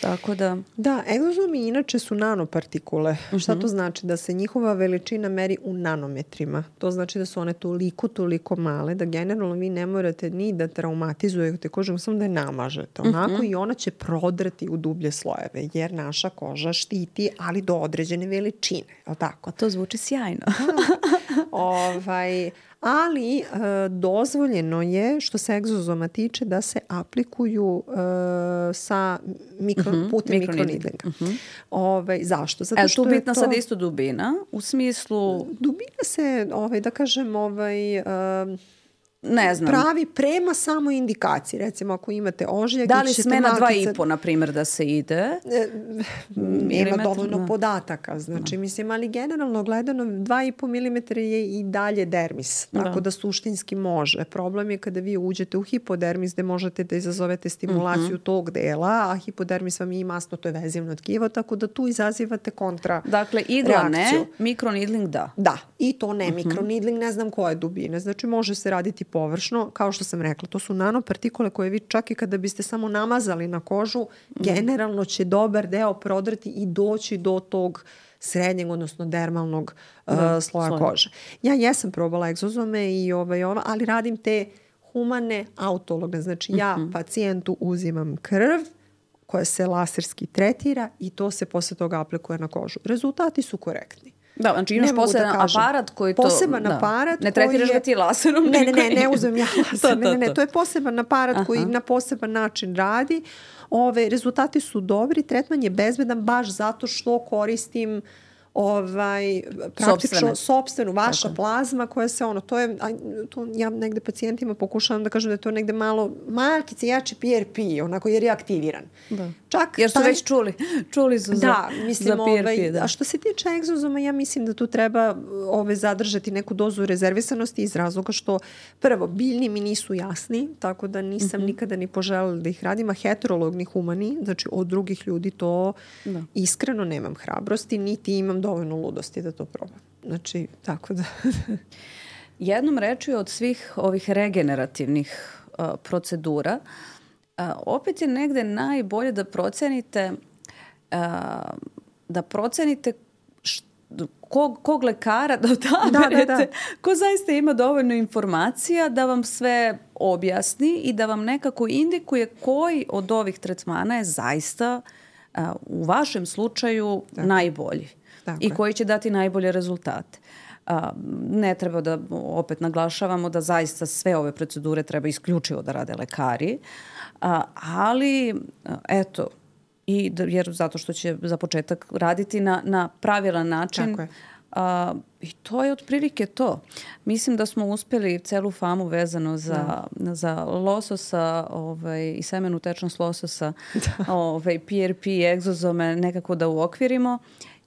[SPEAKER 2] Tako da...
[SPEAKER 1] Da, egzozomi inače su nanopartikule. Uh-huh. Šta to znači? Da se njihova veličina meri u nanometrima. To znači da su one toliko, toliko male da generalno vi ne morate ni da traumatizujete kožu, samo da je namažete. Onako uh-huh. i ona će prodrti u dublje slojeve, jer naša koža štiti, ali do određene veličine. O tako?
[SPEAKER 2] A to zvuči sjajno.
[SPEAKER 1] ovaj... Ali e, dozvoljeno je, što se egzozoma tiče, da se aplikuju e, sa mikro, uh-huh. putem mikronidlinga. Uh-huh. Ove, zašto? Zato
[SPEAKER 2] e,
[SPEAKER 1] što
[SPEAKER 2] tu bitna
[SPEAKER 1] je to...
[SPEAKER 2] sad isto dubina, u smislu...
[SPEAKER 1] Dubina se, ovaj, da kažem, ovaj, e,
[SPEAKER 2] ne znam.
[SPEAKER 1] pravi prema samo indikaciji. Recimo, ako imate ožiljak...
[SPEAKER 2] Da li sme na dva i po, na primjer, da se ide?
[SPEAKER 1] E, nema dovoljno da. podataka. Znači, da. mislim, ali generalno gledano dva i po milimetra je i dalje dermis. Tako da. da suštinski može. Problem je kada vi uđete u hipodermis gde možete da izazovete stimulaciju mm-hmm. tog dela, a hipodermis vam je i masno, to je vezivno tkivo, tako da tu izazivate kontra
[SPEAKER 2] Dakle, igla reakciju. Ne, mikronidling da.
[SPEAKER 1] Da, i to ne. Mm-hmm. Mikronidling ne znam koje dubine. Znači, može se raditi površno, kao što sam rekla, to su nanopartikule koje vi čak i kada biste samo namazali na kožu, mm. generalno će dobar deo prodrti i doći do tog srednjeg, odnosno dermalnog da, uh, sloja sloj. kože. Ja jesam probala egzozome i ovaj, ova, ali radim te humane autologne. Znači mm-hmm. ja pacijentu uzimam krv koja se laserski tretira i to se posle toga aplikuje na kožu. Rezultati su korektni.
[SPEAKER 2] Da, znači imaš poseban da aparat koji to...
[SPEAKER 1] Poseban
[SPEAKER 2] da.
[SPEAKER 1] aparat
[SPEAKER 2] ne tretiraš ga ti laserom?
[SPEAKER 1] Ne, ne, ne, ne uzmem ja laser. ne, ne, ne, to je poseban aparat Aha. koji na poseban način radi. Ove, rezultati su dobri, tretman je bezbedan baš zato što koristim ovaj praktično sopstvenu vaša Tako. plazma koja se ono to je to ja negde pacijentima pokušavam da kažem da je to negde malo malkice jači P R P onako jer je aktiviran.
[SPEAKER 2] Da. Čak jer su taj, već čuli čuli su za
[SPEAKER 1] da, mislim,
[SPEAKER 2] za P R P,
[SPEAKER 1] ovaj,
[SPEAKER 2] da.
[SPEAKER 1] A što se tiče egzozoma ja mislim da tu treba ove zadržati neku dozu rezervisanosti iz razloga što prvo biljni mi nisu jasni, tako da nisam mm-hmm. nikada ni poželjela da ih radim, a heterologni humani, znači od drugih ljudi to da. iskreno nemam hrabrosti, niti imam dovoljno ludosti da to probam. Znači, tako da...
[SPEAKER 2] Jednom rečju od svih ovih regenerativnih uh, procedura, uh, opet je negde najbolje da procenite uh, da procenite št, kog, kog lekara da odaberete, da, da, da. ko zaista ima dovoljno informacija da vam sve objasni i da vam nekako indikuje koji od ovih tretmana je zaista uh, u vašem slučaju tako. najbolji. Tako i koji će dati najbolje rezultate. A, ne treba da opet naglašavamo da zaista sve ove procedure treba isključivo da rade lekari, a, ali eto, i da, jer zato što će za početak raditi na, na pravilan način.
[SPEAKER 1] Tako je.
[SPEAKER 2] A, i to je otprilike to. Mislim da smo uspjeli celu famu vezano za, da. za lososa ovaj, i semenu tečnost lososa, ovaj, P R P, egzozome nekako da uokvirimo.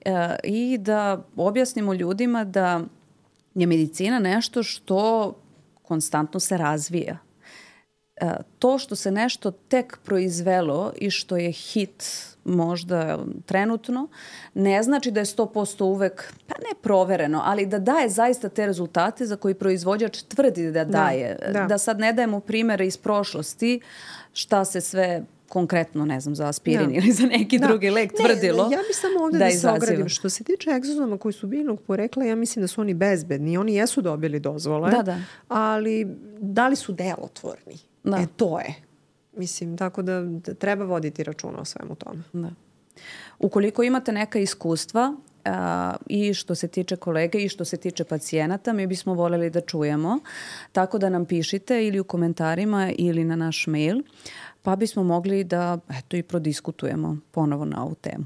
[SPEAKER 2] E, i da objasnimo ljudima da je medicina nešto što konstantno se razvija. E, to što se nešto tek proizvelo i što je hit možda trenutno, ne znači da je sto posto uvek, pa ne provereno, ali da daje zaista te rezultate za koji proizvođač tvrdi da daje. Da, da. da sad ne dajemo primere iz prošlosti šta se sve konkretno, ne znam, za aspirin da. ili za neki da. drugi lek tvrdilo.
[SPEAKER 1] Ne, ja bih samo ovdje da, da se ogradim. Što se tiče egzozoma koji su biljnog porekla, ja mislim da su oni bezbedni. Oni jesu dobili dozvole,
[SPEAKER 2] da, da.
[SPEAKER 1] ali da li su delotvorni? Da. E, to je. Mislim, tako da, da treba voditi računa o svemu tome.
[SPEAKER 2] Da. Ukoliko imate neka iskustva a, i što se tiče kolege i što se tiče pacijenata, mi bismo voljeli da čujemo. Tako da nam pišite ili u komentarima ili na naš mail, pa bismo mogli da eto i prodiskutujemo ponovo na ovu temu.